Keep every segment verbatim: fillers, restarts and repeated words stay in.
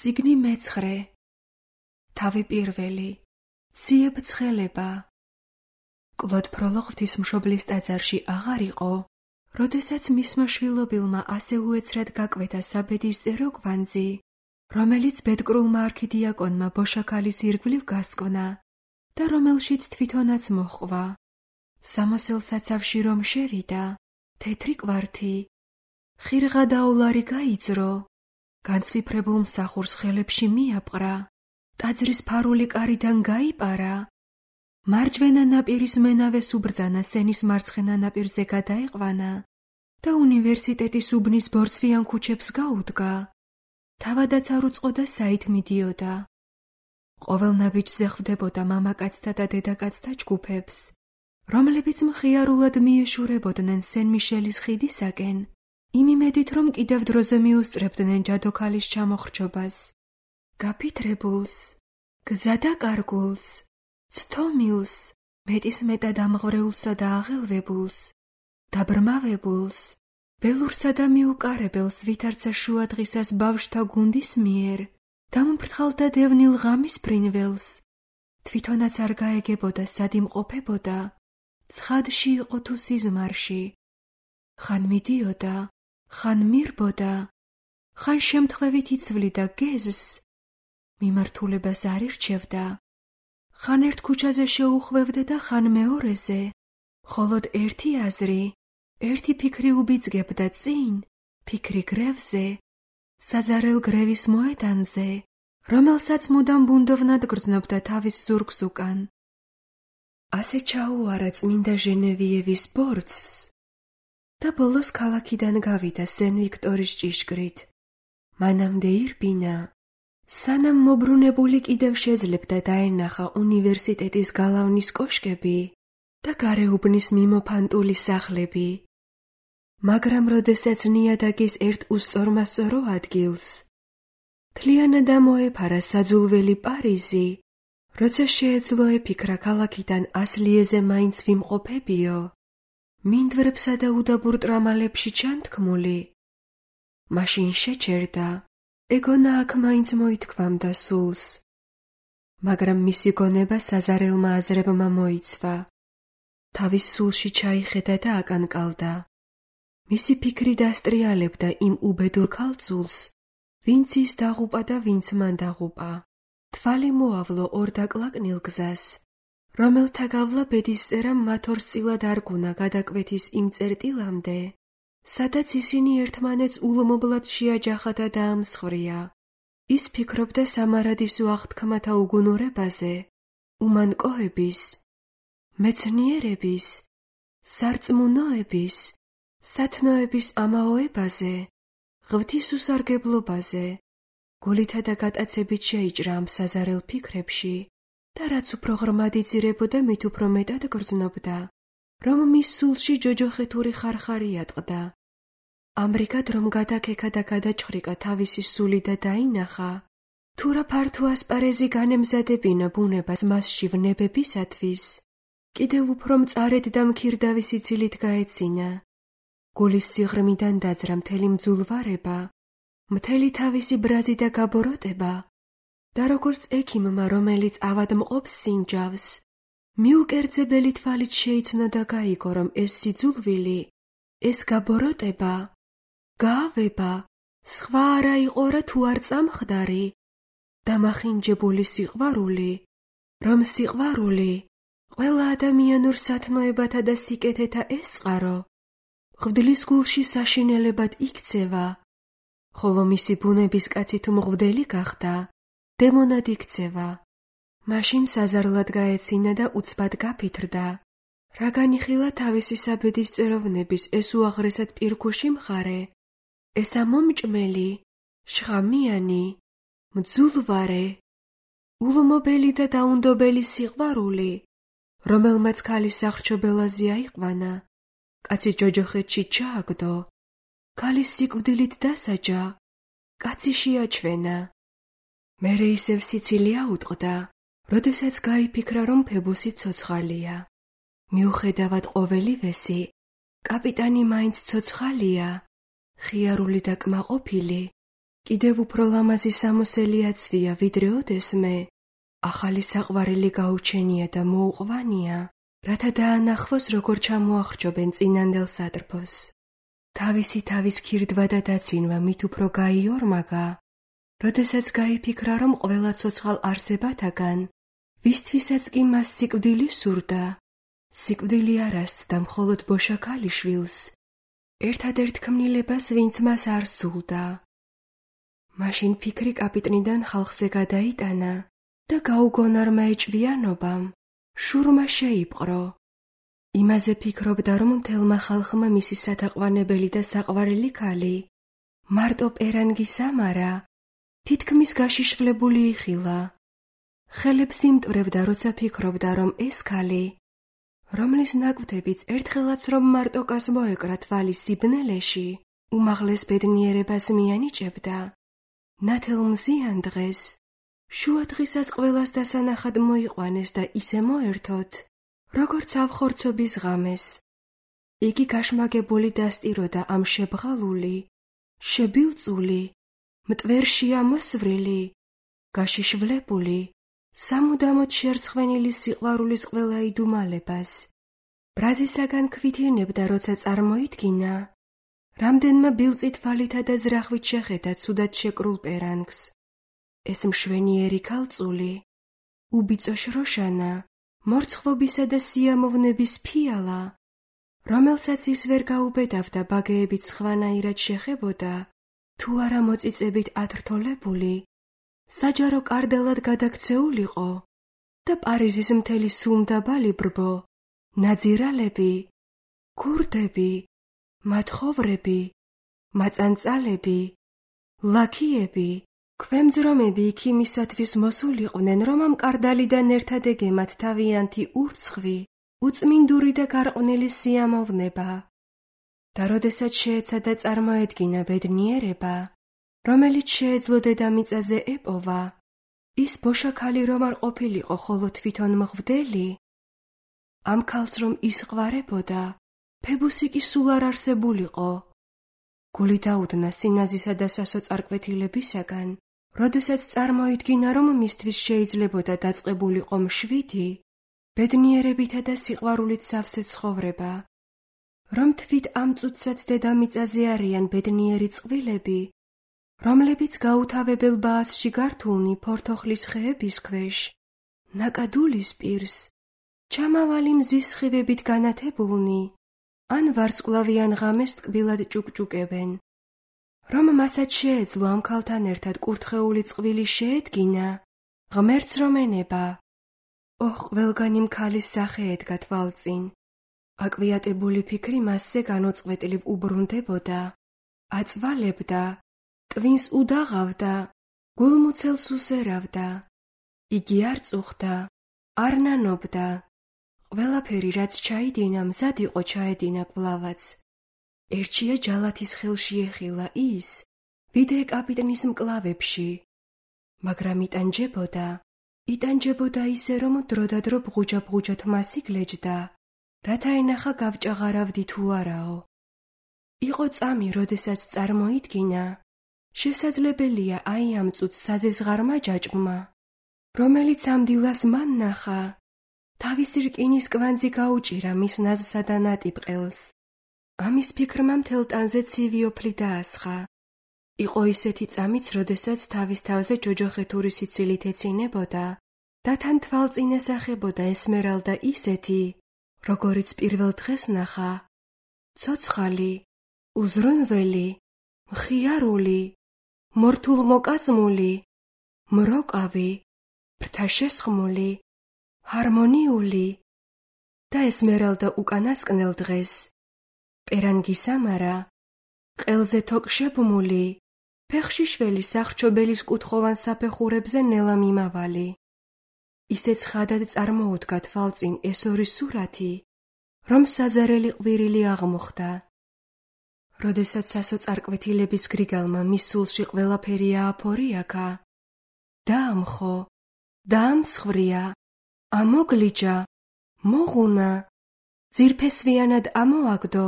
წიგნი მეცხრე. თავი პირველი. ციებ ცხელება. კლოდ ფროლო ღვთისმშობლის ტაძარში აღარ იყო, როდესაც მისმა შვილობილმა ასე უეცრად გაკვეთა საბედისწერო კვანძი, რომელიც ბედკრულმა არქიდიაკონმა ბოშაქალის ირგვლივ გასკვნა და რომელშიც თვითონაც მოჰყვა. სამოსელ საცავში რომ შევიდა, თეთრი კვართი, ხირღა და ოლარი გაიძრო, განცვიფრებულ მსახურს ხელებში მიაპყრა, ტაძრის ფარული კარიდან გაიპარა, მარჯვენა ნაპირის მენავეს უბრძანა სენის მარცხენა ნაპირზე გადაეყვანა და უნივერსიტეტის უბნის ბორცვიან ქუჩებს გაუდგა. თავადაც არ უწყოდა საით მიდიოდა. ყოველ ნაბიჯზე ხვდებოდა მამაკაცთა და დედაკაცთა ჯგუფებს, რომლებიც მხიარულად მიეშურებოდნენ სენ-მიშელის ხიდისაკენ, იმ იმედით, რომ კიდევ დროზე მიუსწრებდნენ ჯადოქალის ჩამოხრჩობას. გაფითრებულს, გზადაკარგულს, ცთომილს, მეტის მეტად ამღვრეულსა და აღელვებულს, დაბრმავებულს, ველურსა და მიუკარებელს ვითარცა შუადღისას ბავშვთა გუნდის მიერ, დამფრთხალ და დევნილ ღამის ფრინველს, თვითონაც არ გაეგებოდა სად იმყოფებოდა, ცხადში იყო თუ სიზმარში. ხან მიდიოდა, ხან მირბოდა, ხან შემთხვევით იცვლიდა გეზს, მიმართულებას არ ირჩევდა, ხან ერთ ქუჩაზე შეუხვევდა და ხან მეორეზე, მხოლოდ ერთი აზრი, ერთი ფიქრი უბიძგებდა წინ, ფიქრი გრევზე, საზარელ გრევის მოედანზე, რომელსაც მუდამ ბუნდოვნად გრძნობდა თავის ზურგს უკან. ასე ჩაუარა წმინდა ჟენევიევის ბორცვს და ბოლოს ქალაქიდან გავიდა სენ-ვიქტორის ჭიშკრით. მანამდე ირბინა, სანამ მობრუნებული კიდევ შეძლებდა დაენახა უნივერსიტეტის გალავნის კოშკები და გარეუბნის მიმოფანტული სახლები. მაგრამ როდესაც ნიადაგის ერთ უსწორმასწორო ადგილს მთლიანად ამოეფარა საძულველი პარიზი, როცა შეეძლო ეფიქრა ქალაქიდან ასლიეზე მაინც ვიმყოფებიო, მინდვრებსა და უდაბურ ტრამალებში ჩანთქმული, მაშინ შეჩერდა, ეგონა აქ მაინც მოითქვამდა სულს. მაგრამ მისი გონება საზარელმა აზრებმა მოიცვა. თავის სულში ჩაიხედა და აკანკალდა. მისი ფიქრი დასტრიალებდა იმ უბედურ ქალწულს, ვინც ის დაღუპა და ვინც მან დაღუპა. თვალი მოავლო ორ დაკლაკნილ გზას, რომელთა გავლა ბედისწერამ მათ ორ სწილად არგუნა გადაკვეთის იმ წერტილამდე, სადაც ისინი ერთმანეთს ულმობლად შეაჯახა და დაამსხვრია. ის ფიქრობდა სამარადისო აღთქმათა უგუნურებაზე, უმანკოების, მეცნიერების, სარწმუნოების, სათნოების ამაოებაზე, ღვთისუსარგებლობაზე, გულითა და გატაცებით შეიჭრა ამ საზარელ ფიქრებში და რაც უფრო ღრმად იძირებოდა, მით უფრო მეტად გრძნობდა, რომ მის სულში ჯოჯოხეთური ხარხარი ატყდა. ამრიგად რომ გადაკექა და გადაჭხრიკა თავისი სული და დაინახა, თუ რა ფართო ასპარეზი განემზადებინა ბუნებას მასში ვნებებისათვის, კიდევ უფრო მწარედ და მქირდავი სიცილით გაეცინა. გულის სიღრმიდან დაძრა მთელი მძულვარება, მთელი თავისი ბრაზი და გაბოროტება და როგორც ექიმმა, რომელიც ავადმყოფს სინჯავს, მიუკერძებელი თვალით შეიცნო და გაიგო, რომ ეს სიძულვილი, ეს გაბოროტება, გაავება, სხვა არა იყო რა თუ არ წამხდარი, დამახინჯებული სიყვარული, რომ სიყვარული, ყველა ადამიანურ სათნოებათა და სიკეთეთა ესწყარო, ღვდლის გულში საშინელებად იქცევა, ხოლო მისი ბუნების კაცი თუ მღვდელი გახდა, დემონად იქცევა. მაშინ საზარლად გაეცინა და უცბად გაფითრდა, რა განიხილა თავისი საბედისწეროვნების ეს უაღრესად პირქუში მხარე, ეს ამომჭმელი, შხამიანი, მძულვარე, ულმობელი და დაუნდობელი სიყვარული, რომელმაც ქალის სახრჩობელაზე აიყვანა, კაცი ჯოჯოხეთში ჩააგდო, ქალის სიკვდილით დასაჯა, კაცი შეაჩვენა. მერე ისევ სიცილი აუტყდა, როდესაც გაიფიქრა, რომ ფებუსი ცოცხალია. მიუხედავად ყოველივესი, კაპიტანი მაინც ცოცხალია, ხიარული და კმაყოფილი, კიდევ უფრო ლამაზი სამოსელია ცვია, ვიდრე ოდესმე, ახალი საყვარელი გაუჩენია და მოუყვანია, რათა დაანახოს, როგორ ჩამოახრჯობენ წინანდელ სატრფოს. თავისი თავის ქირდვა და დაცინვა მით უფრო გაიორმაგა, როდესაც გაიფიქრა, რომ ყველა ცოცხალ არსებათაგან, ვისთვისაც კი მას სიკვდილი სურდა, სიკვდილი არ ასცდა მხოლოდ ბოშა ქალიშვილს, ერთადერთ ქმნილებას, ვინც მას არ სულდა. მაშინ ფიქრი კაპიტნიდან ხალხზე გადაიტანა და გაუგონარმა ეჭვიანობამ შურმა შეიპყრო. იმაზე ფიქრობდა, რომ მთელმა ხალხმა მისი სათაყვანებელი და საყვარელი ქალი, მარტო პერანგი სამარა, თითქმის გაშიშვლებული იხილა. ხელებს იმტვრევდა, როცა ფიქრობდა, რომ ეს ქალი, რომლის ნაკვთებიც ერთხელაც რომ მარტოკას მოეკრა თვალი სიბნელეში, უმაღლეს ბედნიერებას მიანიჭებდა, ნათელ მზიან დღეს, შუა დღისას ყველას დასანახად მოიყვანეს და ისე მოერთოთ, როგორც ავხორცობის ღამეს. იგი გაშმაგებული დასტიროდა ამ შებღალული, შებილწული, მტვერში ამოსვრილი, გაშიშვლებული, სამუდამოდ შერცხვენილი სიყვარულის ყველა იდუმალებას. ბრაზისაგან ქვითინებდა, როცა წარმოიდგინა, რამდენმა ბილწი თვალითა და ზრახვით შეხედა ცუდად შეკრულ პერანგს. ეს მშვენიერი ქალწული, უბიწო შროშანა, მორცხვობისა და სიამოვნების ფიალა, რომელსაც ის ვერ გაუბედავდა ბაგეებით სხვანაირად შეხებოდა, თუ არა მოწიწებით ათრთოლებული, საჯარო კარდელად გადაქცეულიყო და პარიზის მთელი სუმდაბალი ბრბო, ნაძირალები, ქურდები, მათხოვრები, მაწანწალები, ლაქიები, ქვემძრომები იქ იმისათვის მოსულიყვნენ, რომ ამ კარდალიდან ერთად ეგემათ თავიანთი ურცხვი, უწმინდური და გარყვნილი სიამოვნება. და როდესაც შეეცადა წარმოედგინა ბედნიერება, რომელიც შეეძლო დედამიწაზე ეპოვა, ის ბოშა ქალი რომ არ ყოფილიყო ხოლო თვითონ მღვდელი, ამ ქალს რომ ისყვარებოდა, ფებუსი კი სულ არ არსებულიყო. გული დაუდნა სინაზისა და სასოწარკვეთილებისაგან, როდესაც წარმოიდგინა, რომ მისთვის შეიძლებოდა დაწყებულიყო მშვიდი, ბედნიერებითა და სიყვარულით სავსე ცხოვრება, რომ თვით ამ წუთსაც დედამიწაზე არიან ბედნიერი წყვილები, რომლებიც გაუთავებელ ბაასში გართულნი ფორთოხლის ხეების ქვეშ, ნაკადულის პირს, ჩამავალი მზის სხივებით განათებულნი, ან ვარსკვლავიან ღამეს ტკბილად ჭუკჭუკებენ. რომ მასაც შეეძლო ამ ქალთან ერთად კურთხეული წყვილი შეედგინა, ღმერთს რომ ენება. ოხ, ყველგან იმ ქალის სახე ედგა თვალწინ. აკვიატებული ფიქრი მასზე განუწყვეტლივ უბრუნდებოდა, აწვალებდა, ტვინს უდაღავდა, გულმუცელს უსერავდა. იგი არ წუხდა, არ ნანობდა. ყველაფერი, რაც ჩაიდინა, მზად იყო ჩაედინა კვლავაც. ერჩია ჯალათის ხელში ეხილა ის, ვიდრე კაპიტნის მკლავებში. მაგრამ იტანჯებოდა, იტანჯებოდა ისე, რომ დროდადრო ბღუჯა-ბღუჯად მას იგლეჯდა, რათა ენახა გავჭაღარავდი თუ არაო. იყო წამი, როდესაც წარმოიდგინა, შესაძლებელია აი ამ წუთს საზეზღარმა ჯაჭვმა, რომელიც ამ დილას მან ნახა, თავისი რკინის კვანძი გაუჭირა მის ნაზსა და ნატიბყელს. ამის ფიქრმა მთელ ტანზე ცივი ოფლი დაასხა. იყო ისეთი წამიც, როდესაც თავის თავზე ჯოჯოხეთური სიცილით ეცინებოდა და თან თვალწინ ესახებოდა ესმერალდა ისეთი, როგორიც პირველ დღეს ნახა, ცოცხალი, უზრუნველი, მხიარული, მორთულმოკაზმული, მროკავი, ფრთაშესხმული, ჰარმონიული და ესმერალდა უკანასკნელ დღეს, პერანგი სამარა, ყელზე თოკშებმული, ფეხში შველი სახრჩობელის კუთხოვან საფეხურებზე ნელა მიმავალი. ისეც ხადად წარმოუდგა თვალწინ ეს ორი სურათი, რომ საზარელი ყვირილი აღმოხდა. როდესაც სასოწარკვეთილების გრიგალმა მის სულში ყველაფერი ააფორიაქა, დაამხო, დაამსხვრია, ამოგლიჯა, მოღუნა, ძირფესვიანად ამოაგდო,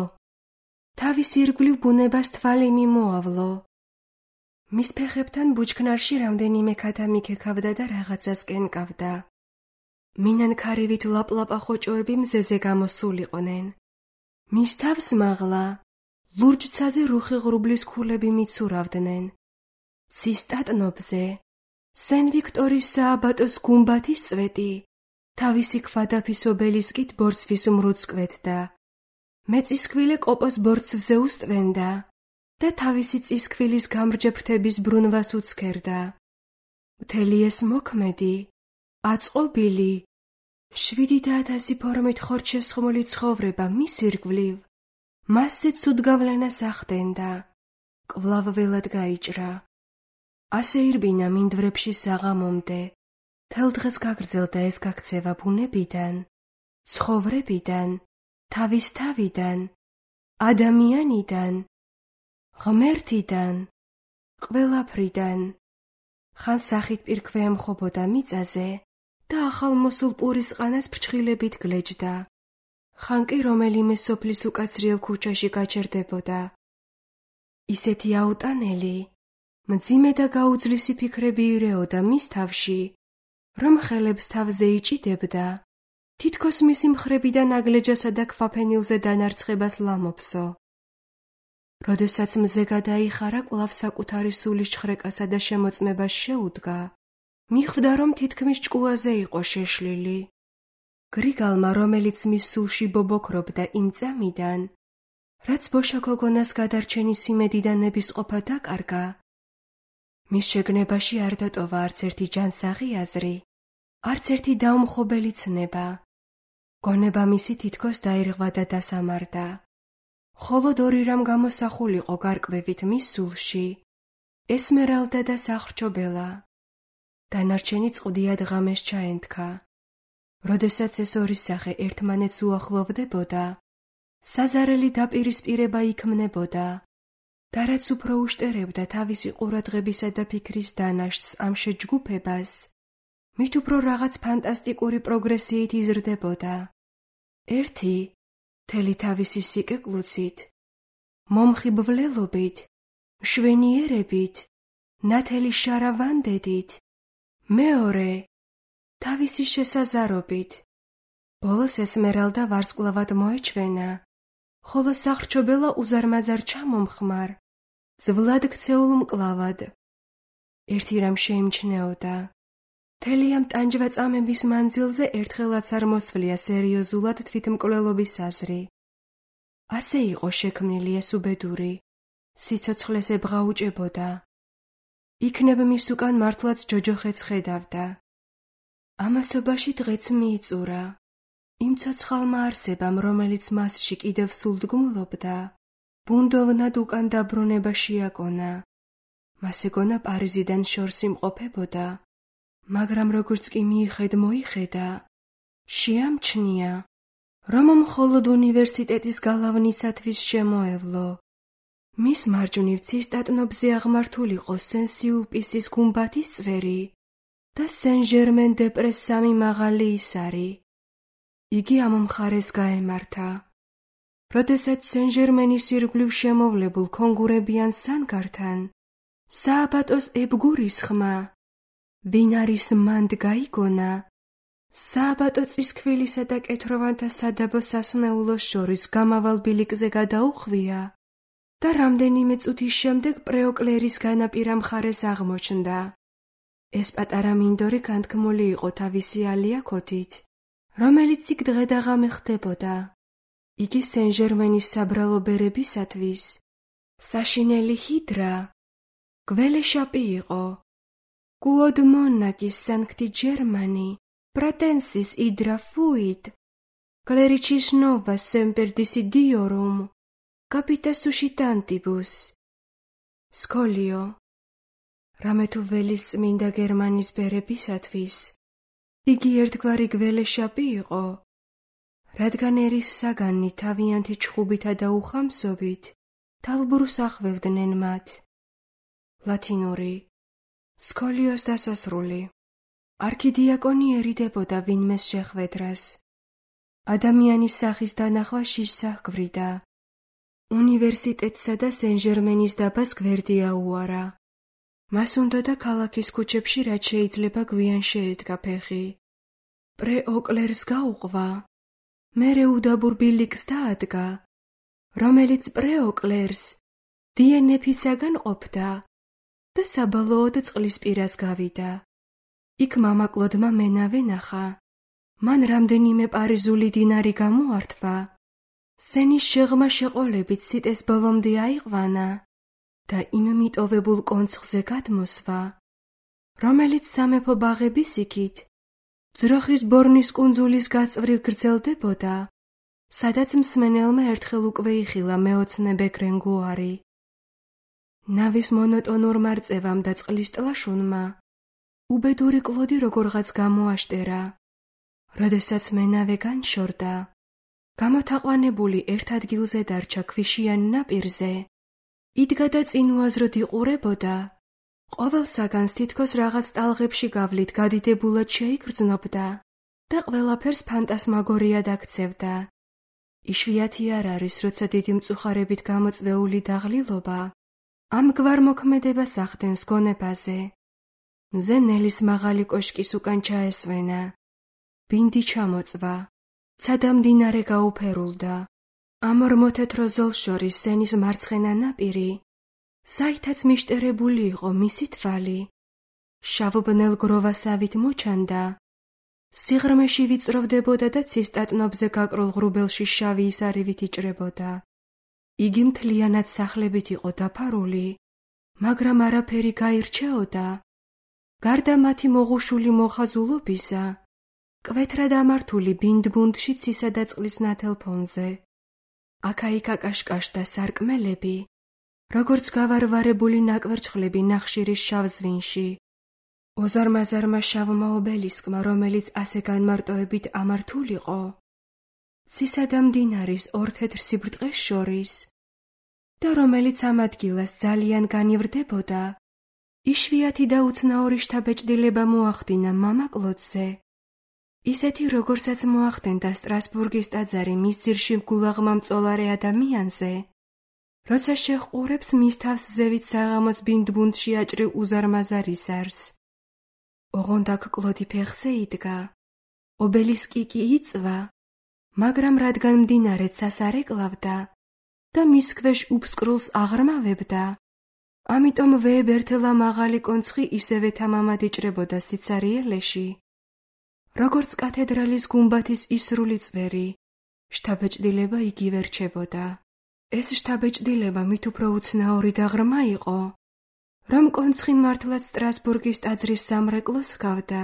თავის ირგვლივ ბუნებას თვალი მიმოავლო. მის ფეხებთან ბუჩქნარში რამდენიმე ქათა მიქექავდა და რაღაცას კენკავდა. მინანქარივით ლაპლაპა ხოჭოები მზეზე გამოსულიყვნენ. მის თავს მაღლა ლურჯცაზე რუხი ღრუბლის ქულები მიცურავდნენ. ცის ტატნობზე სენ ვიქტორის სააბატოს გუმბათის წვეტი თავისი ქვადაფის ობელისკით ბორცვის მრუდს კვეთდა. მეწისქვილე კოპოს ბორცვზე უსტვენდა და თავისი წისქვილის გამრჯე ფრთების ბრუნვას უცქერდა. მთელი ეს მოქმედი, აწყობილი, შვიდი და ათასი ფორმით ხორჩშესხმული ცხოვრება მის ირგვლივ მასზე ცუდ გავლენას ახდენდა. კვლავ ველად გაიჭრა. ასე ირბინა მინდვრებში საღამომდე. თელ დღეს გაგრძელდა ეს გაქცევა ბუნებიდან, ცხოვრებიდან, თავის თავიდან, ადამიანიდან, ღმერთიდან, ყველაფრიდან. ხან სახით პირქვე ემხობოდა მიწაზე და ახალ მოსულ პურის ყანას ფრჩხილებით გლეჯდა. ხან კი რომელიმე სოფლის უკაცრიელ ქუჩაში გაჩერდებოდა. ისეთი აუტანელი, მძიმე და გაუძლისი ფიქრები ირეოდა მის თავში, რომ ხელებს თავზე იჭიდებდა, თითქოს მისი მხრებიდან აგლეჯასა და ქვაფენილზე დანარცხებას ლამოფსო. როდესაც მზე გადაიხარა, კვლავ საკუთარი სულის ჩხრეკასა და შემოწმებას შეუდგა, მიხვდა, რომ თითქმის ჭკუაზე იყო შეშლილი. გრიგალმა, რომელიც მის სულში ბობოქრობდა იმ წამიდან, რაც ბოშა გოგონას გადარჩენის იმედიდან ნებისყოფა დაკარგა, მის შეგნებაში არ დატოვა არც ერთი ჯანსაღი აზრი, არც ერთი დაუმხობელი ცნება. გონება მისი თითქოს დაირღვა და დასამარდა. მხოლოდ ორი რამ გამოსახულიყო გარკვევით მის სულში: ესმერალდა და სახრჩობელა. დანარჩენი წყდიად ღამეს ჩაენთქა. როდესაც ეს ორი სახე ერთმანეთს უახლოვდებოდა, საზარელი დაპირისპირება იქმნებოდა და რაც უფრო უშტერებდა თავისი ყურადღებისა და ფიქრის დანაშთს ამ შეჯგუფებას, მით უფრო რაღაც ფანტასტიკური პროგრესიით იზრდებოდა. ერთი, მთელი თავისი სიკეკლუცით, მომხიბვლელობით, მშვენიერებით, ნათელი შარავანდედით. მეორე, თავისი შესაზარობით. ბოლოს ესმერალდა ვარსკვლავად მოეჩვენა, ხოლო სახრჩობელა უზარმაზარ ჩამომხმარ, ძვლად ქცეულ მკლავად. ერთი რამ შეიმჩნეოდა: მთელი ამ ტანჯვა-წამების მანძილზე ერთხელაც არ მოსვლია სერიოზულად თვითმკვლელობის აზრი. ასე იყო შექმნილი ეს უბედური, სიცოცხლეს ებღაუჭებოდა. იქნებ მის უკან მართლაც ჯოჯოხეთს ხედავდა. ამასობაში დღეც მიიწურა. იმ ცოცხალმა არსებამ, რომელიც მასში კიდევ სულდგმულობდა, ბუნდოვნად უკან დაბრუნება შეაკონა. მას ეგონა პარიზიდან შორს იმყოფებოდა, მაგრამ როგორც კი მიიხედ მოიხედა, შეამჩნია, რომ მხოლოდ უნივერსიტეტის გალავნისათვის შემოევლო. მის მარჯვნივ ცის ტატნობზე აღმართულიყო სენ-სიულპისის გუმბათის წვერი და სენ-ჟერმენ-დე-პრეს სამი მაღალი ისარი. იგი ამ მხარეს გაემართა. როდესაც სენ-ჟერმენის ირგვლივ შემოვლებულ კონგურებიან სანგართან, სააბატოს ებგურის ხმა, ვინ არის მანდ გაიგონა, სააბატო წისქვილისა და კეთროვანთა სადაბო სასნეულოს შორის გამავალ ბილიკზე გადაუხვია და რამდენიმე წუთის შემდეგ პრეოკლერის განაპირა მხარეს აღმოჩნდა. ეს პატარა მინდორი განთქმული იყო თავისი ალიაქოთით, რომელიც იქ დღე და ღამე ხდებოდა. იგი სენ-ჟერმენის საბრალო ბერებისათვის საშინელი ჰიდრა, გველეშაპი იყო. კუოდ მონაკის სანქტი ჯერმანი, პრატენსის იდრა ფუით, კლერიჩის ნოვა სემპერდისი დიორუმ, კაპიტა სუშიტანტიბუს. სკოლიო. რამე თუ ველის წმინდა გერმანის ბერებისათვის, იგი ერთგვარი გველეშაპი იყო, რადგან ერის საგანი თავიანთი ჩხუბითა და უხამსობით თავბრუს ახვევდნენ მათ. ლათინური. სკოლიოს დასასრული. არქიდიაკონი ერიდებოდა ვინმეს შეხვედრას. ადამიანის სახის დანახვა შიშს აჰგვრიდა. უნივერსიტეტსა და სენ-ჟერმენის დაბას გვერდი აუარა. მას უნდა და ქალაქის ქუჩებში რაც შეიძლება გვიან შეედგა ფეხი. პრე-ოკლერს გაუყვა, მერე უდაბურ ბილიკს დაადგა, რომელიც პრე-ოკლერს დი ენ ეფისაგან ყოფდა და საბოლოოდ წყლის პირას გავიდა. იქ მამაკლოდმა მენავე ნახა. მან რამდენიმე პარიზული დინარი გამოართვა. სენის შეღმა შეყოლებით სიტეს ბოლომდე აიყვანა და იმ მიტოვებულ კონცხზე გადმოსვა, რომელიც სამეფო ბაღების იქით ძროხის ბორნის კუნძულის გასწვრივ გრძელდებოდა, სადაც მსმენელმა ერთხელ უკვე იხილა მეოცნებე გრენგუარი. ნავის მონოტონურ მარწევამ და წყლის ტლაშუნმა უბედური კლოდი როგორღაც გამოაშტერა. როდესაც მენავე განშორდა, გამოთაყვანებული ერთ ადგილზე დარჩა ქვიშიან ნაპირზე, იდგა და წინ უაზროდ იყურებოდა. ყოველ საგანს თითქოს რაღაც ტალღებში გავლით გადიდებულად შეიგრძნობდა და ყველაფერს ფანტასმაგორიად აქცევდა. იშვიათი არ არის, როცა დიდი მწუხარებით გამოწვეული დაღლილობა ამგვარ მოქმედებას ახდენს გონებაზე. მზე ნელის მაღალი კოშკის უკან ჩაესვენა. ბინდი ჩამოწვა. ცადა მდინარე გაუფერულდა. ამ ორ მოთეთრო ზოლს შორის სენის მარცხენა ნაპირი, საითაც მიშტერებული იყო მისი თვალი. შავ-ბნელ გროვასავით მოჩანდა. სიღრმეში ვიწროვდებოდა და ცისტატნობზე გაკრულ ღრუბელში შავი ისარივით იჭრებოდა. იგი მთლიანად სახლებით იყო დაფარული, მაგრამ არაფერი გაირჩეოდა. გარდა მათი მოღუშული მოხაზულობისა, კვეთრად ამართული ბინდბუნდში ცისა და წყლის ნათელ ფონზე. აქა-იქ აკაშკაშდა სარკმელები, როგორც გავარვარებული ნაკვერცხლები ნახშირის შავ ზვინში. ოზარმაზარმა შავმა ობელისკმა, რომელიც ასე განმარტოებით ამართულიყო, ცისა და მდინარის ორ თეთრ სიბრტყეს შორის და რომელიც ამ ადგილას ძალიან განივრდებოდა, იშვიათი და უცნაური შთაბეჭდილება მოახდინა მამაკლოდზე, ისეთი როგორცაც მოახდენდა სტრასბურგის ტაძარი მის ძირში მგულაღმა მწოლარე ადამიანზე, როცა შეჰყურებს მის თავს ზევით საღამოს ბინდბუნდში აჭრილ უზარმაზარ ისარს. ოღონდ აქ კლოდი ფეხზე იდგა, ობელისკი კი იწვა, მაგრამ რადგან მდინარე ცას არ ეკლავდა და მის ქვეშ უფსკრულს აღრმავებდა, ამიტომ ვეებერთელა მაღალი კონცხი ისევე თამამად იჭრებოდა სიცარიელეში. როგორც კათედრალის გუმბათის ისრული წვერი, შთაბეჭდილება იგივე რჩებოდა. ეს შთაბეჭდილება მით უფრო უცნაური და ღრმა იყო, რომ კონცხი მართლაც სტრასბურგის ტაძრის სამრეკლოს ჰგავდა,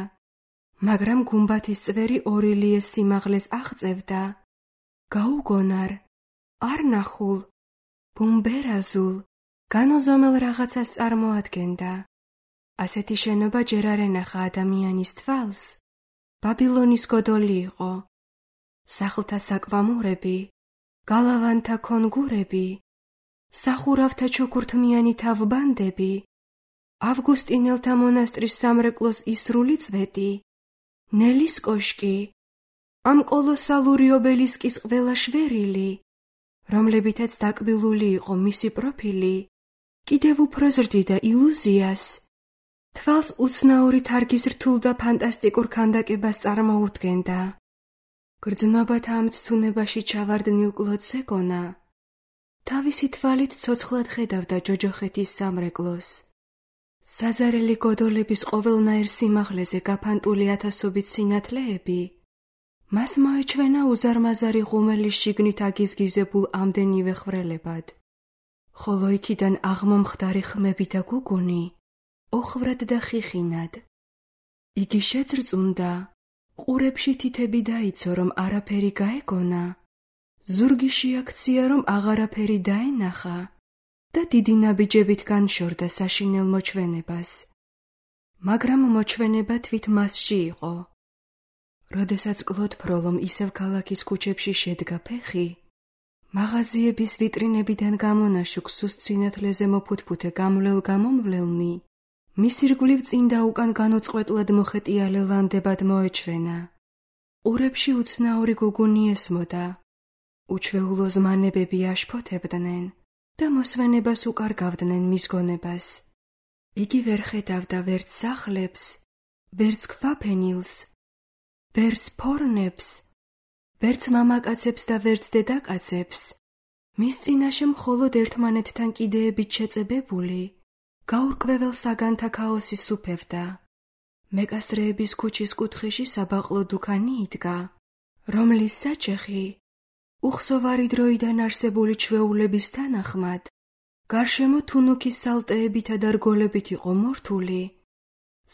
მაგრამ გუმბათის წვერი ორი ლიეს სიმაღლეს აღწევდა. გაუგონარ, არ ნახულ, ბუმბერაზულ, განოზომელ რაღაცას წარმოადგენდა. ასეთი შენობა ჯერ არ ენახა ადამიანის თვალს. ბაბილონის გოდოლი იყო. სახლთა საკვამურები, გალავანთა კონგურები, სახურავთა ჩუქურთმიანი თავბანდები, ავგუსტინელთა მონასტრის სამრეკლოს ისრული წვეტი, ნელის კოშკი, ამ კოლოსალური ობელისკის ყველა შვერილი, რომლებითაც დაკბილული იყო მისი პროფილი, კიდევ უფრო ზრდიდა ილუზიას, თვალს უცნაური თარგის რთულ და ფანტასტიკურ ქანდაკებას წარმოუდგენდა. გრძნობათა ამ ცთუნებაში ჩავარდნილ კლოდზე გონა. თავისი თვალით ცოცხლად ხედავდა ჯოჯოხეთის სამრეკლოს. საზარელი გოდოლების ყოველნაირ სიმაღლეზე გაფანტული ათასობით სინათლეები, მას მოეჩვენა უზარმაზარი ღუმელის შიგნით აგიზგიზებულ ამდენივე ხრელებად. ხოლო იქიდან აღმომხდარი ხმები და გუგუნი, ოხრად და ხიხინად. იგი შეძრწუნდა, ყურებში თითები დაიცო, რომ არაფერი გაეგონა, ზურგი შეაქცია, რომ აღარაფერი დაენახა და დიდი ნაბიჯებით განშორდა საშინელ მოჩვენებას. მაგრამ მოჩვენება თვით მასში იყო. როდესაც კლოდ ფროლომ ისევ ქალაქის ქუჩებში შედგა ფეხი, მაღაზიების ვიტრინებიდან გამონაშუქ სუსტ სინათლეზე მოფუთფუთე გამვლელ-გამომვლელნი, მის ირგვლივ წინ და უკან განუწყვეტლად მოხეტიალე ლანდებად მოეჩვენა. ყურებში უცნაური გუგუნი ესმოდა, უჩვეულო ზმანებები აშფოთებდნენ და მოსვენებას უკარგავდნენ მის გონებას. იგი ვერ ხედავდა ვერც სახლებს, ვერც ქვაფენილს, ვერც ფორნებს, ვერც მამაკაცებს და ვერც დედაკაცებს. მის წინაშე მხოლოდ ერთმანეთთან კიდეებით შეწებებული, გაურკვეველ საგანთა ქაოსი სუფევდა. მეკასრეების ქუჩის კუთხეში საბაყლო დუქანი იდგა, რომლის საჩეხი უხსოვარი დროიდან არსებული ჩვეულების თანახმად გარშემო თუნუქის სალტეებითა და რგოლებით იყო მორთული.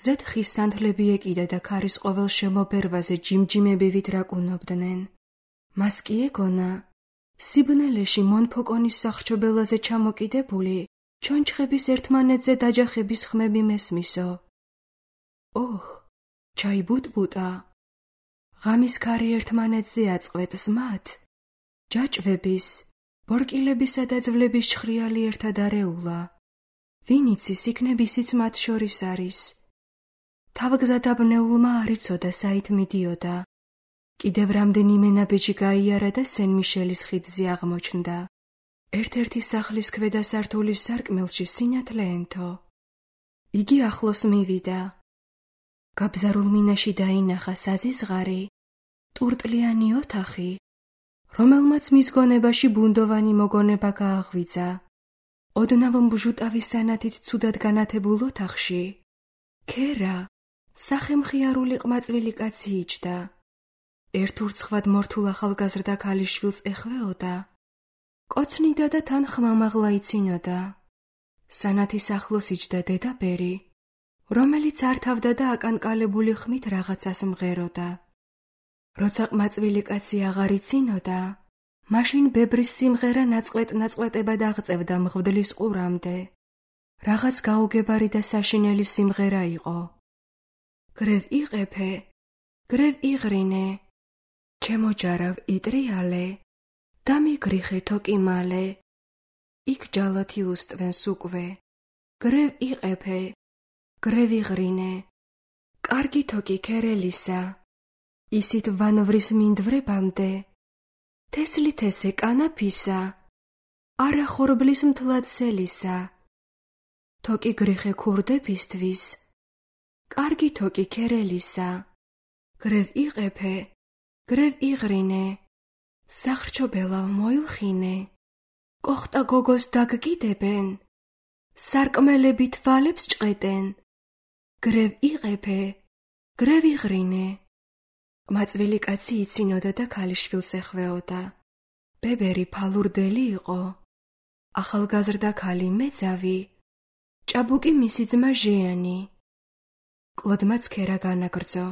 ზედ ხის სანთლები ეკიდა და ქარის ყოველ შემობერვაზე ჯიმჯიმებივით რაკუნობდნენ. მას კი ეგონა, სიბნელეში მონფოკონის სახრჩობელაზე ჩამოკიდებული ჩონჩხების ერთმანეთზე დაჯახების ხმები მესმისო. ოჰ, ჩაიბუტბუტა. ღამის ქარი ერთმანეთზე აწყვეტს მათ, ჯაჭვების, ბორკილებისა და ძვლების ჩხრიალი ერთად არეულა. ვინ იცის, იქნებ ისიც მათ შორის არის. თავგზადაბნეულმა არ იცოდა საით მიდიოდა. კიდევ რამდენიმე ნაბიჯი გაიარა და სენ-მიშელის ხიდზე აღმოჩნდა. ერთ-ერთი სახლის ქვედა სართულის სარკმელში სინათლე ენთო. იგი ახლოს მივიდა. გაბზარულ მინაში დაინახა საზიზღარი, ტურტლიანი ოთახი, რომელმაც მის გონებაში ბუნდოვანი მოგონება გააღვიძა. ოდნავ მბჟუტავის სანათით ცუდად განათებულ ოთახში ქერა, სახემხიარული ყმაწვილი კაცი იჯდა. ერთ ურცხვად მორთულ ახალგაზრდა ქალიშვილს ეხვეოდა. კოცნიდა და თან ხმამაღლა იცინოდა. სანათის ახლოს იჯდა დედაბერი, რომელიც ართავდა და აკანკალებული ხმით რაღაცას მღეროდა. როცა ყმაწვილი კაცი აღარ იცინოდა, მაშინ ბებრის სიმღერა ნაწყვეტ-ნაწყვეტებად აღწევდა მღვდლის ყურამდე. რაღაც გაუგებარი და საშინელი სიმღერა იყო. გრევ იყეფე, გრევ იღრინე, ჩემო ჯარავ იტრიალე, დამიგრიხე თოკი მალე, იქ ჯალათი უსტვენს უკვე. გრევ იყეფე, გრევ იღრინე, კარგი თოკი ქერელისა, ისით ვანვრის მინდვრებამდე, თესლი თესე კანაფისა, არა ხორბლის მთლად სელისა. თოკი გრიხე ქურდებისთვის, კარგი თოკი ქერელისა. გრევ იყეფე, გრევ იღრინე, სახრჩობელავ მოილხინე, კოხტა გოგოს დაგგიდებენ, სარკმელები თვალებს ჭყედენ. გრევ იყეფე, გრევ იღრინე. ყმაწვილი კაცი იცინოდა და ქალიშვილს ეხვეოდა. ბებერი ფალურდელი იყო, ახალგაზრდა ქალი მეძავი, ჭაბუკი მისი ძმა ჟიანი. კლოდმაც ქერა განაგრძო.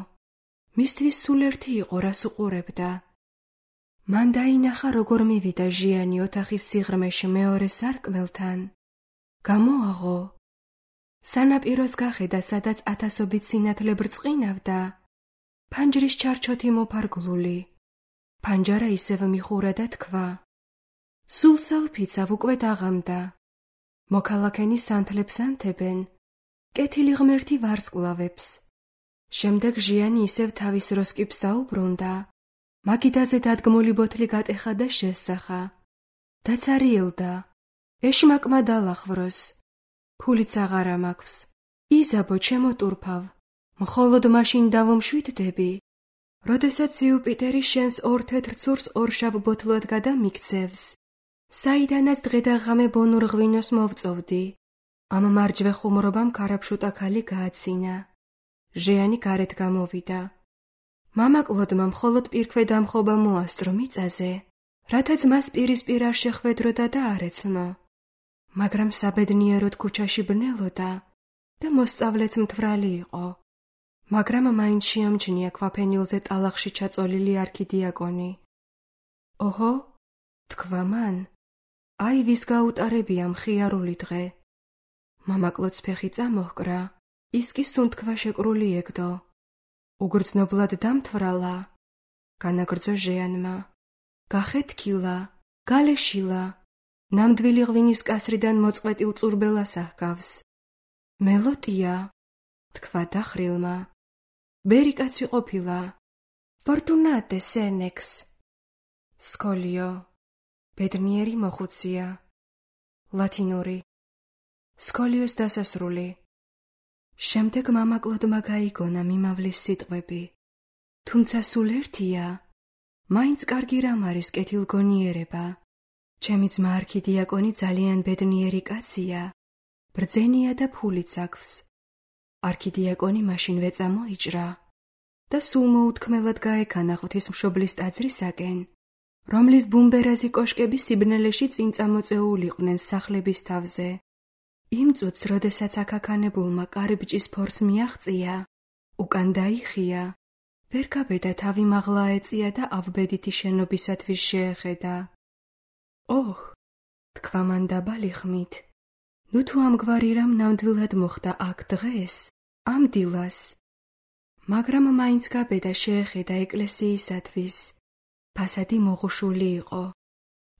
მისთვის სულ ერთი იყო, რას უყურებდა. მან დაინახა, როგორ მივიდა ჟიანი ოთახის სიღრმეში მეორე სარკმელთან. გამოაღო. სანაპიროს გახედა, სადაც ათასობით სინათლე ბრწყინავდა. ფანჯრის ჩარჩოთი მოფარგლული. ფანჯარა ისევ მიხურა და თქვა. სულსავ ფიცავ უკვე დაღამდა. მოქალაქენი სანთლებს ანთებენ, კეთილი ღმერთი ვარსკვლავებს. შემდეგ ჟიანი ისევ თავის როსკიპს დაუბრუნდა. მაგიდაზე დადგმული ბოთლი გატეხა და შესწახა. დაცარიელდა. ეშმაკმა დალახვროს. ფულიც აღარა მაქვს. იზაბო ჩემო ტურფავ. მხოლოდ მაშინ დავუმშვიდდები, როდესაც იუპიტერი შენს ორ თეთრ ცურს ორშავ ბოთლად გადამიქცევს, საიდანაც დღე და ღამე ბონურ ღვინოს მოვწოვდი. ამ მარჯვე ხუმრობამ ქარაფშუტა ქალი გააცინა. ჟიანი გარეთ გამოვიდა. მამა კლოდმა მხოლოდ პირქვე დამხობა მოასწრო მიწაზე, რათა ძმას პირისპირ არ შეხვედროდა და არ ეცნო. მაგრამ საბედნიეროდ ქუჩაში ბნელოდა და მოსწავლეც მთვრალი იყო. მაგრამ მაინც შეამჩნია ქვაფენილზე ტალახში ჩაწოლილი არქიდიაკონი. ოჰო, თქვა მან, აი ვის გაუტარებია მხიარული დღე. მამაკლოც ფეხი წამოჰკრა, ის კი სუნთქვა შეკრული ეგდო. უგრძნობლად დამთვრალა, განაგრძო ჟიანმა. გახეთქილა, გალეშილა, ნამდვილი ღვინის კასრიდან მოწყვეტილ წურბელას აჰგავს. მელოტია, თქვა დახრილმა. ბერი კაცი ყოფილა. ფორტუნატე სენექს. სკოლიო, ბედნიერი მოხუცია. ლათინური. სკოლიოს დასასრული. შემდეგ მამა კლოდმა გაიგონა მიმავლის სიტყვები. თუმცა სულ ერთია, მაინც კარგი რამ არის კეთილგონიერება. ჩემი ძმა არქიდიაკონი ძალიან ბედნიერი კაცია, ბრძენია და ფულიც აქვს. არქიდიაკონი მაშინვე წამოიჭრა და სულ მოუთქმელად გაექანა ღვთისმშობლის ტაძრისაკენ, რომლის ბუმბერაზი კოშკები სიბნელეში წინ წამოწეულიყვნენ სახლების თავზე. იმ წუთს, როდესაც აქაქანებულმა კარიბჭის ფორს მიაღწია, უკან დაიხია, ვერ გაბედა თავი მაღლა ეწია და ავბედითი შენობისათვის შეეხედა. ოჰ, თქვა მან დაბალი ხმით, ნუ თუ ამგვარი რამ ნამდვილად მოხდა აქ დღეს, ამ დილას. მაგრამ მაინც გაბედა შეეხედა ეკლესიისათვის. ფასადი მოღუშული იყო.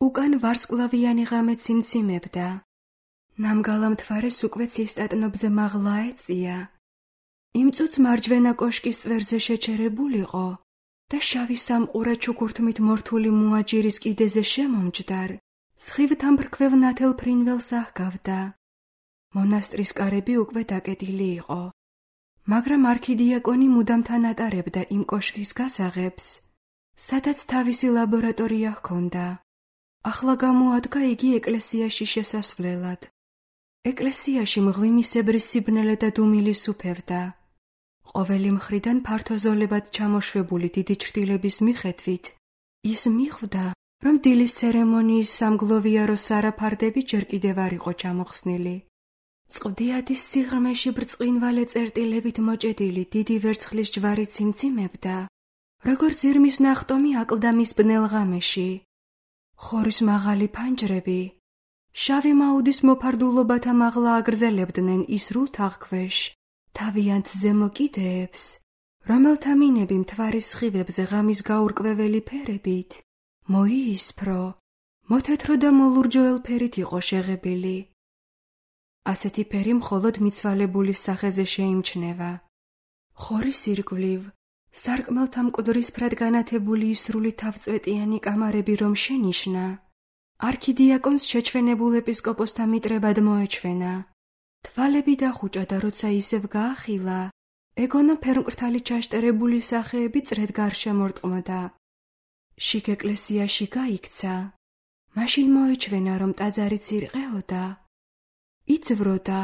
უკან ვარსკვლავიანი ღამე ციმციმებდა. ნამგალა მთვარეს უკვე ცისტატნობზე მაღლა ეწია. იმ წუთს მარჯვენა კოშკის წვერზე შეჩერებულიყო და შავი სამყურა ჩუქურთმით მორთული მუაჯირის კიდეზე შემომჯდარ, სხივთან მფრქვევ ნათელ ფრინველს აჰგავდა. მონასტრის კარები უკვე დაკეტილი იყო, მაგრამ არქიდიაკონი მუდამთან ატარებდა იმ კოშკის გასაღებს, სადაც თავისი ლაბორატორია ჰქონდა. ახლა გამოადგა იგი ეკლესიაში შესასვლელად. ეკლესიაში მღვიმისებრი სიბნელე და დუმილი სუფევდა. ყოველი მხრიდან ფართოზოლებად ჩამოშვებული დიდი ჩრდილების მიხედვით ის მიხვდა, რომ დილის ცერემონიის სამგლოვიარო სარაფარდები ჯერ კიდევ არ იყო ჩამოხსნილი. წყდიადის სიღრმეში ბრწყინვალე წერტილებით მოჭედილი დიდი ვერცხლის ჯვარი ციმციმებდა, როგორც ირმის ნახტომი აკლდამის ბნელ ღამეში. ხორის მაღალი ფანჯრები შავი მაუდის მოფარდულობათა მაღლა აგრძელებდნენ ისრულ თაღქვეშ თავიანთ ზემო კიდეებს, რომელთა მინები მთვარის სხივებზე ღამის გაურკვეველი ფერებით მოიისფრო, მოთეთრო და მოლურჯოელ ფერით იყო შეღებილი. ასეთი ფერი მხოლოდ მიცვალებულის სახეზე შეიმჩნევა. ხორის ირგვლივ სარკმელთა მკვდრისფრად განათებული ისრული თავწვეტიანი კამარები რომ შენიშნა, არქიდიაკონს შეჩვენებულ ეპისკოპოსთა მიტრებად მოეჩვენა. თვალები დახუჭა და როცა ისევ გაახილა, ეგონა ფერმკრთალი ჩაშტერებული სახეები წრედ გარშემორტყმდა. შიგ ეკლესიაში გაიქცა. მაშინ მოეჩვენა, რომ ტაძარი ცირყეოდა, იწვროდა,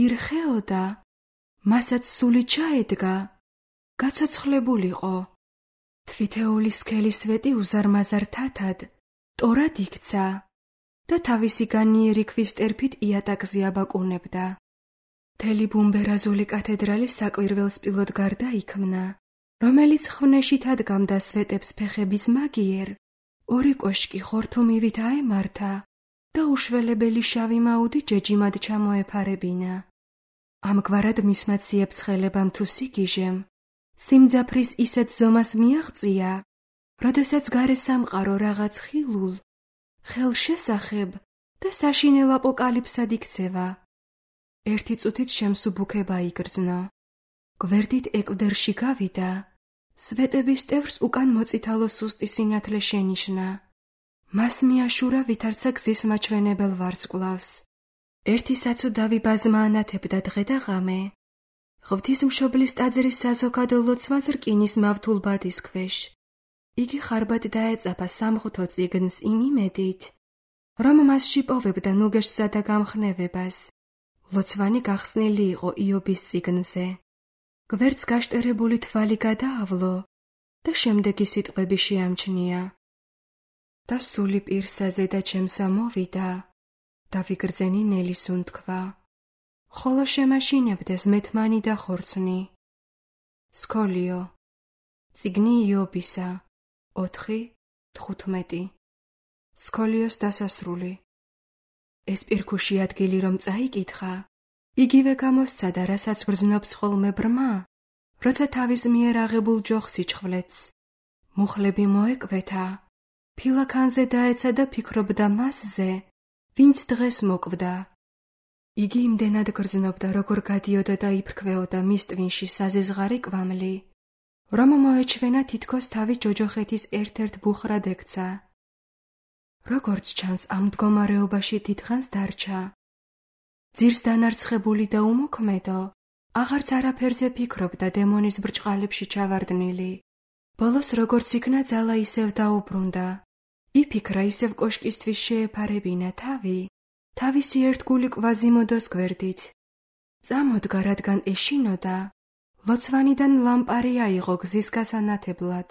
ირხეოდა, მასაც სული ჩაედგა, გაცოცხლებულიყო. თვითეული სქელი სვეტი უზარმაზარ თათად ტორად იქცა და თავისი განიერი ქვის ტერფით იატაკზე აბაკუნებდა. მთელი ბუმბერაზული კათედრალი საკვირველ სპილოდ გარდაიქმნა, რომელიც ხვნეშით ადგამდა სვეტებს ფეხების მაგიერ, ორი კოშკი ხორთუმივით აემართა და უშველებელი შავი მაუდი ჯეჯიმად ჩამოეფარებინა. ამგვარად მისმა ციებ-ცხელებამ თუ სიგიჟემ სიმძაფრის ისეთ ზომას მიაღწია, როდესაც გარე სამყარო რაღაც ხილულ, ხელშესახებ და საშინელ აპოკალიფსად იქცევა. ერთი წუთით შემსუბუქება იგრძნო. გვერდით ეკვდერში გავიდა, სვეტების ტევრს უკან მოწითალო სუსტი სინათლე შენიშნა. მას მიაშურა ვითარცა გზის მაჩვენებელ ვარსკვლავს. ერთი საცუდავი ბაზმა ანათებდა დღე და ღამე. ღვთისმშობლის ტაძრის საზოგადო ლოცვას რკინის მავთულ ბადის ქვეშ. იგი ხარბად დაეწაფა სამღვთო წიგნს იმ იმედით, რომ მასში პოვებდა ნუგეშსა და გამხნევებას. ლოცვანი გახსნილი იყო იობის წიგნზე. გვერდს გაშტერებული თვალი გადაავლო და შემდეგი სიტყვები შეამჩნია. და სული პირსაზე და ჩემსა მოვიდა, დავიგრძენი ნელის უნთქვა. ხოლო შემაშინებდეს მეთმანი და ხორცნი. სკოლიო. წიგნი იობისა. ოთხი თხუთმეტი. სკოლიოს დასასრული. ეს პირქუში ადგილი რომ წაიკითხა, იგივე გამოსცადა, რასაც გრძნობს ხოლმე ბრმა, როცა თავის მიერ აღებულ ჯოხს იჩხვლეთს. მუხლები მოეკვეთა, ფილაქანზე დაეცა და ფიქრობდა მასზე, ვინც დღეს მოკვდა. იგი იმდენად გრძნობდა, როგორ გადიოდა და იფრქვეოდა მის ტვინში საზეზღარი კვამლი, რომ მოეჩვენა თითქოს თავი ჯოჯოხეთის ერთ-ერთ ბუხრად ექცა. როგორც ჩანს, ამ მდგომარეობაში დიდხანს დარჩა. ძირს დანარცხებული და უმოქმედო, აღარც არაფერზე ფიქრობდა დემონის ბრჭყალებში ჩავარდნილი. ბოლოს როგორც იქნა ძალა ისევ დაუბრუნდა. იფიქრა ისევ კოშკისთვის შეეფარებინა თავი, თავისი ერთგული კვაზიმოდოს გვერდით. წამოდგა, რადგან ეშინოდა, ლოცვანიდან ლამპარი აიღო გზის გასანათებლად.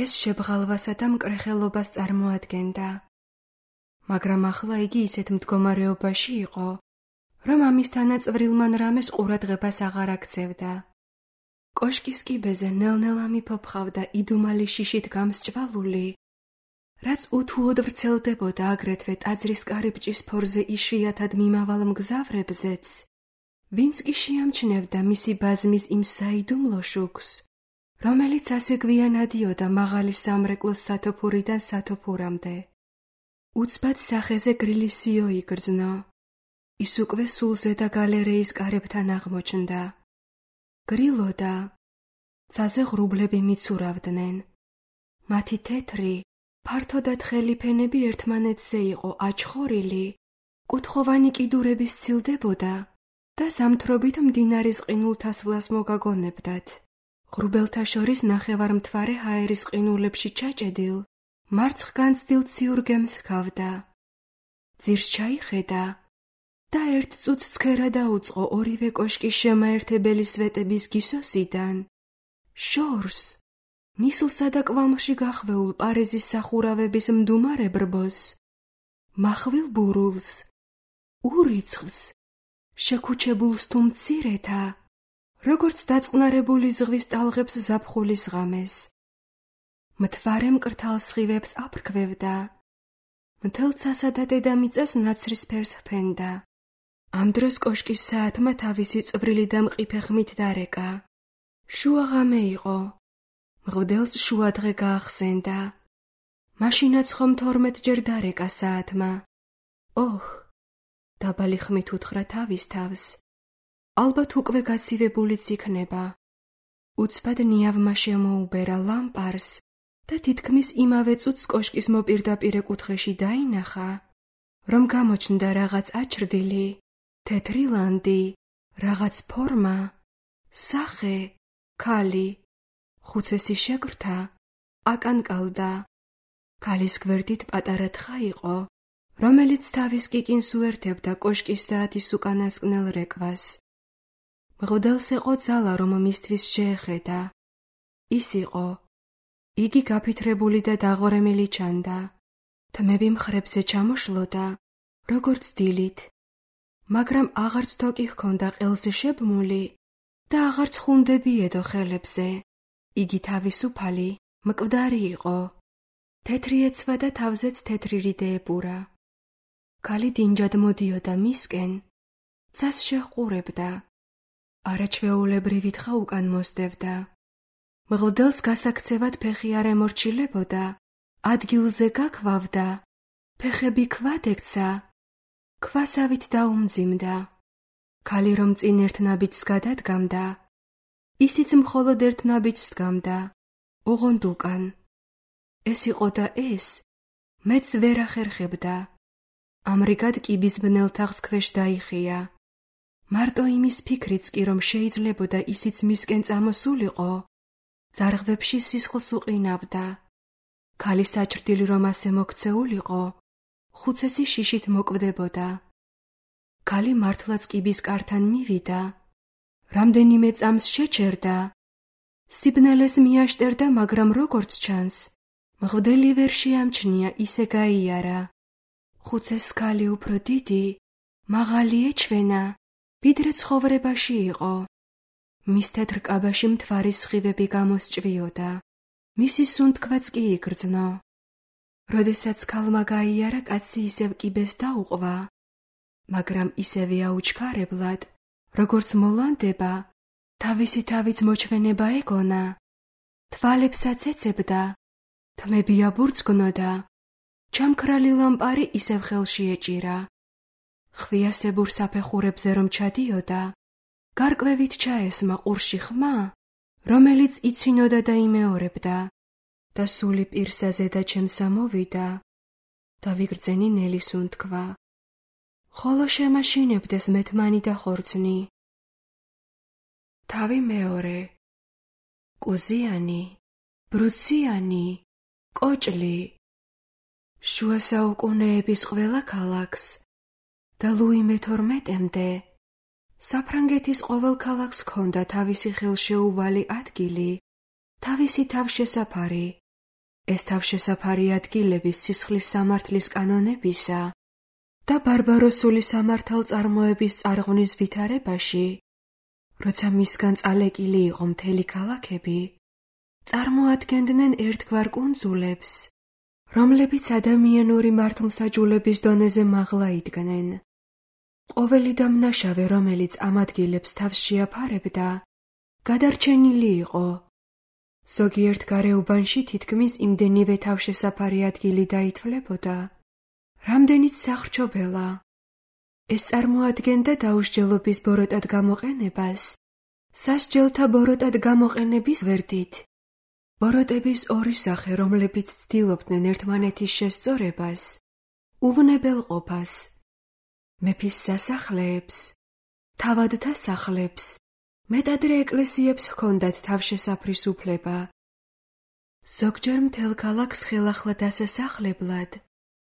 ეს შებღალვასა და მკრეხელობას წარმოადგენდა. მაგრამ ახლა იგი ისეთ მდგომარეობაში იყო, რომ ამის თანაწვრილმან რამეს ყურადღებას აღარ აქცევდა. კოშკის კიბეზე ნელ-ნელა მიფოფხავდა იდუმალი შიშით გამსჭვალული, რაც უთუოდ ვრცელდებოდა აგრეთვე ტაძრის კარიბჭის ფორზე იშვიათად მიმავალ მგზავრებზეც, ვინც კი შეამჩნევდა მისი ბაზმის იმ საიდუმლო შუქს, რომელიც ასე გვიან ადიოდა მაღალი სამრეკლოს სათოფურიდან სათოფურამდე. უცბად სახეზე გრილისიო იგრძნო. ის უკვე სულზედა გალერეის კარებთან აღმოჩნდა. გრილოდა, ცაზე ღრუბლები მიცურავდნენ. მათი თეთრი, ფართო და თხელი ფენები ერთმანეთზე იყო აჩხორილი, კუთხოვანი კიდურები სცილდებოდა და ზამთრობით მდინარის ყინულთასვლას მოგაგონებდათ. ღრუბელთა შორის ნახევარმთვარე ჰაერის ყინულებში ჩაჭედილ, მარცხგანცდილ ციურ გემს ჰგავდა. ძირს ჩაიხედა და ერთ წუთს ცქერა დაუწყო ორივე კოშკის შემაერთებელი სვეტების გისოსიდან. შორს, ნისლსა და კვამლში გახვეულ პარიზის სახურავების მდუმარე ბრბოს, მახვილ ბურულს, ურიცხვს, შეკუჩებულს თუ მცირეთა, როგორც დაწყნარებული ზღვის ტალღებს ზაფხულის ღამეს. მთვარე მკრთალ სხივებს აფრქვევდა, მთელცასა და დედამიწას ნაცრისფერს ჰფენდა. ამ დროს კოშკის საათმა თავისი წვრილი და მყიფე ხმით დარეკა. შუა ღამე იყო. მღვდელს შუადღე გაახსენდა. მაშინაც ხომ თორმეტჯერ დარეკა საათმა. ოჰ, დაბალი ხმით უთხრა თავის თავს. ალბათ უკვე გაცივებულიც იქნება. უცბად ნიავმა შემოუბერა ლამპარს და თითქმის იმავე წუთს კოშკის მოპირდაპირე კუთხეში დაინახა, რომ გამოჩნდა რაღაც აჩრდილი, თეთრი ლანდი, რაღაც ფორმა, სახე, ქალი, ხუცესი შეკრთა, აკანკალდა. ქალის გვერდით პატარა თხა იყო, რომელიც თავის კიკინს უერთებდა კოშკის საათის უკანასკნელ რეკვას. მღვდელს ეყო ძალა, რომ მისთვის შეეხედა. ის იყო. იგი გაფითრებული და დაღორემილი ჩანდა. თმები მხრებზე ჩამოშლოდა, როგორც დილით, მაგრამ აღარც თოკი ჰქონდა ყელზე შებმული და აღარც ხუნდები ედო ხელებზე. იგი თავისუფალი, მკვდარი იყო. თეთრი ეცვა და თავზეც თეთრი რიდე ეპურა. ქალი დინჯად მოდიოდა მისკენ, ცას შეჰყურებდა. არაჩვეულებრივი თხა უკან მოსდევდა. მღვდელს გასაქცევად ფეხი არ ემორჩილებოდა, ადგილზე გაქვავდა, ფეხები ქვად ექცა, ქვასავით დაუმძიმდა. ქალი რომ წინ ერთ ნაბიჯს გადადგამდა, ისიც მხოლოდ ერთ ნაბიჯს დგამდა, ოღონდ უკან. ეს იყო და ეს, მეც ვერ ახერხებდა. ამრიგად კიბის ბნელ თაღს ქვეშ დაიხია. მარტო იმის ფიქრიც კი, რომ შეიძლებოდა ისიც მისკენ წამოსულიყო, ძარღვებში სისხლს უყინავდა. ქალი საჭრდილი რომ ასე მოქცეულიყო, ხუცესი შიშით მოკვდებოდა. ქალი მართლაც კიბის კართან მივიდა, რამდენიმე წამს შეჩერდა, სიბნელეს მიაშტერდა, მაგრამ როგორც ჩანს, მღვდელი ვერ შეამჩნია, ისე გაიარა. ხუცეს ქალი უფრო დიდი, მაღალი ეჩვენა, ვიდრე ცხოვრებაში იყო. მის თეთრ კაბაში მთვარის სხივები გამოსჭვიოდა. მისი სუნთქვაც კი იგრძნო. როდესაც ქალმა გაიარა, კაცი ისევ კიბეს დაუყვა, მაგრამ ისევე აუჩქარებლად, როგორც მოლანდება, თავისი თავიც მოჩვენება ეგონა. თვალებსაც ეცებდა, თმები აბურძგნოდა, ჩამქრალი ლამპარი ისევ ხელში ეჭირა. ხვიასებურ საფეხურებზე რომ ჩადიოდა, გარკვევით ჩაესმა ყურში ხმა, რომელიც იცინოდა და იმეორებდა და სული პირსა ზედა ჩემსა მოვიდა და ვიგრძენი ნელი სუნთქვა. ხოლო შემაშინებდეს მეთმანი და ხორცნი. თავი მეორე, კუზიანი, ბრუციანი, კოჭლი. შუა საუკუნეების ყველა ქალაქს და ლუი მეთორმეტემდე საფრანგეთის ყოველ ქალაქს ჰქონდა თავისი ხელშეუვალი ადგილი, თავისი თავშესაფარი. ეს თავშესაფარი ადგილების სისხლის სამართლის კანონებისა და ბარბაროსული სამართალწარმოების წარღვნის ვითარებაში, როცა მისგან წალეკილი იყო მთელი ქალაქები, წარმოადგენდნენ ერთგვარ კუნძულებს, რომლებიც ადამიანური მართლმსაჯულების დონეზე მაღლა იდგნენ. ყოველი დამნაშავე, რომელიც ამ ადგილებს თავს შეაფარებდა, გადარჩენილი იყო. ზოგიერთ გარეუბანში თითქმის იმდენივე თავშესაფარი ადგილი დაითვლებოდა, რამდენიც სახრჩობელა. ეს წარმოადგენდა დაუსჯელობის ბოროტად გამოყენებას, სასჯელთა ბოროტად გამოყენების გვერდით. ბოროტების ორი სახე, რომლებიც ცდილობდნენ ერთმანეთის შესწორებას, უვნებელყოფას. მეფის სასახლეებს, თავადთა სახლებს, მეტადრე ეკლესიებს ჰქონდათ თავშესაფრის უფლება. ზოგჯერ მთელ ქალაქს ხელახლა დასასახლებლად,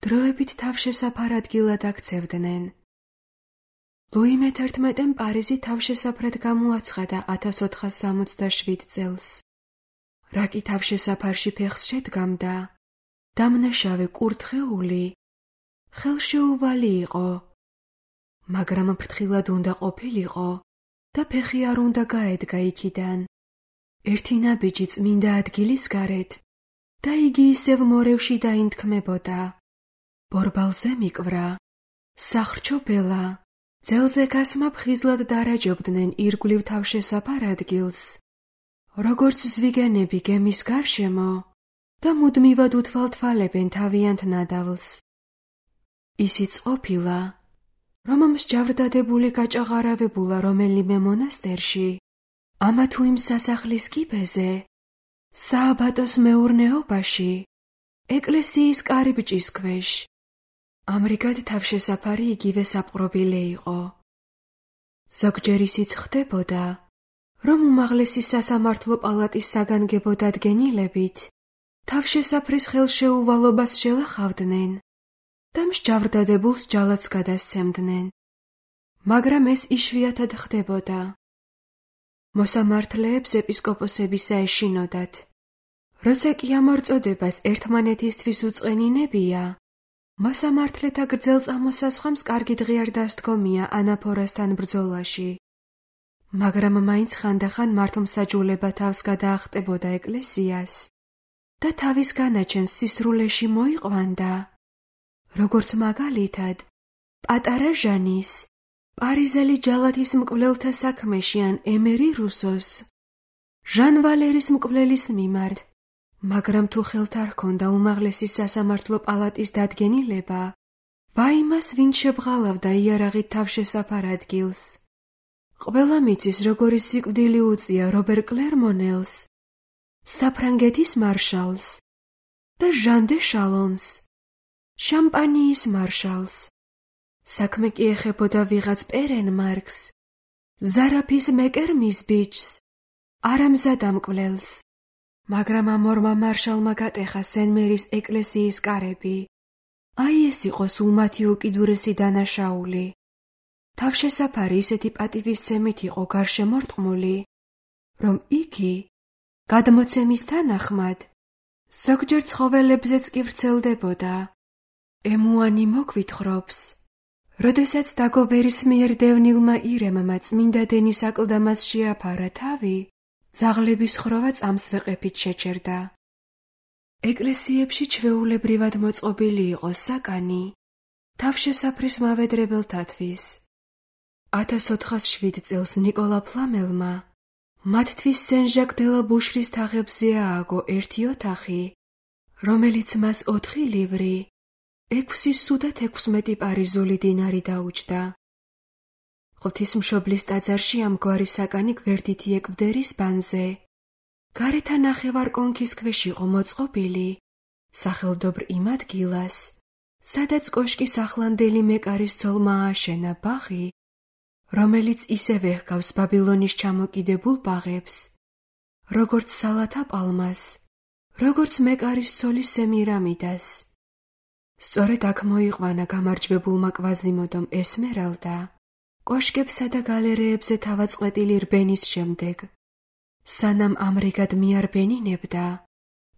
დროებით თავშესაფარ ადგილად აქცევდნენ. ლუი მეთერთმეტემ პარიზი თავშესაფრად გამოაცხადა ათას ოთხას სამოცდაშვიდ წელს. რა კი თავშესაფარში ფეხს შედგამდა, დამნაშავე კურთხეული, ხელშეუვალი იყო, მაგრამ ფრთხილად უნდა ყოფილიყო და ფეხი არ უნდა გაედგა იქიდან. ერთი ნაბიჯი წმინდა ადგილის გარეთ და იგი ისევ მორევში დაინთქმებოდა. ბორბალზე მიკვრა, სახრჩობელა, ძელზე გასმა ფხიზლად დარაჯობდნენ ირგვლივ თავშესაფარ ადგილს, როგორც ზვიგენები გემის გარშემო და მუდმივად უთვალთვალებენ თავიანთ ნადავლს. ისიც ყოფილა, რომ მსჯავრდადებული გაჭაღარავებულა რომელიმე მონასტერში, ამა თუ იმ სასახლის კიბეზე, სააბატოს მეურნეობაში, ეკლესიის კარიბჭის ქვეშ. ამრიგად თავშესაფარი იგივე საპყრობილე იყო. ზოგჯერ ისიც ხდებოდა, რომ უმაღლესი სასამართლო პალატის საგანგებო დადგენილებით თავშესაფრის ხელშეუვალობას შელახავდნენ და მსჯავრდადებულს ჯალათს გადასცემდნენ, მაგრამ ეს იშვიათად ხდებოდა. მოსამართლეებს ეპისკოპოსებისა ეშინოდათ, როცა კი ამ ორწოდებას ერთმანეთისთვის უწყენინებია, მოსამართლეთა გრძელ წამოსასხამს კარგი დღე არ დასდგომია ანაფორასთან ბრძოლაში. მაგრამ მაინც ხანდახან მართლმსაჯულება თავს გადაახტებოდა ეკლესიას და თავის განაჩენს სისრულეში მოიყვანდა, როგორც მაგალითად პატარა ჟანის, პარიზელი ჯალათის მკვლელთა საქმეში ან ემერი რუსოს, ჟან ვალერის მკვლელის მიმართ, მაგრამ თუ ხელთ არ ჰქონდა უმაღლესი სასამართლო პალატის დადგენილება, ვაიმას ვინ შებრალავდა იარაღით თავშესაფარ ადგილს. ყველა მიწის როგორი სიკვდილი უწია რობერ კლერმონელს, საფრანგეთის მარშალს და ჟან დე შალონს, შამპანიის მარშალს. საქმე კი ეხებოდა ვიღაც პერენმარკს, ზარაფის მეკერმის ბიჭს, არამზად ამკვლელს. მაგრამ ამ ორმა მარშალმა გატეხა სენ-მერის ეკლესიის კარები. აი ეს იყო სულ მათი უკიდურესი დანაშაული. თავშესაფარი ისეთი პატივისცემით იყო გარშემორტყმული, რომ იგი, გადმოცემის თანახმად, ზოგჯერ ცხოველებზეც კი ვრცელდებოდა. ემუანი მოგვითხრობს, როდესაც დაგობერის მიერ დევნილმა ირემმა წმინდა დენის აკლდამას შეაფარა თავი, ძაღლების ხროვა წამსვეყებით შეჩერდა. ეკლესიებში ჩვეულებრივად მოწყობილი იყო საკანი თავშესაფრის მავედრებელთათვის. ათას ოთხას შვიდ წელს ნიკოლა ფლამელმა მათთვის სენ-ჟაკ დე ლა ბუშრის თაღებზე ააგო ერთი ოთახი, რომელიც მას ოთხი ლივრი, ექვსი სუ და თექვსმეტი პარიზული დინარი დაუჯდა. ღვთისმშობლის ტაძარში ამგვარი საკანი გვერდითი ეკვდერის ბანზე, გარეთა ნახევარ კონქის ქვეშ იყო მოწყობილი, სახელდობრ იმ ადგილას, სადაც კოშკის ახლანდელი მეკარის ცოლმა ააშენა ბაღი, რომელიც ისევე ჰგავს ბაბილონის ჩამოკიდებულ ბაღებს, როგორც სალათა პალმას, როგორც მეკარის ცოლის სემირამიდას. სწორედ აქ მოიყვანა გამარჯვებულმა კვაზიმოდომ ესმერალდა, კოშკებსა და გალერეებზე თავაწყვეტილი რბენის შემდეგ. სანამ ამრიგად მიარბენინებდა,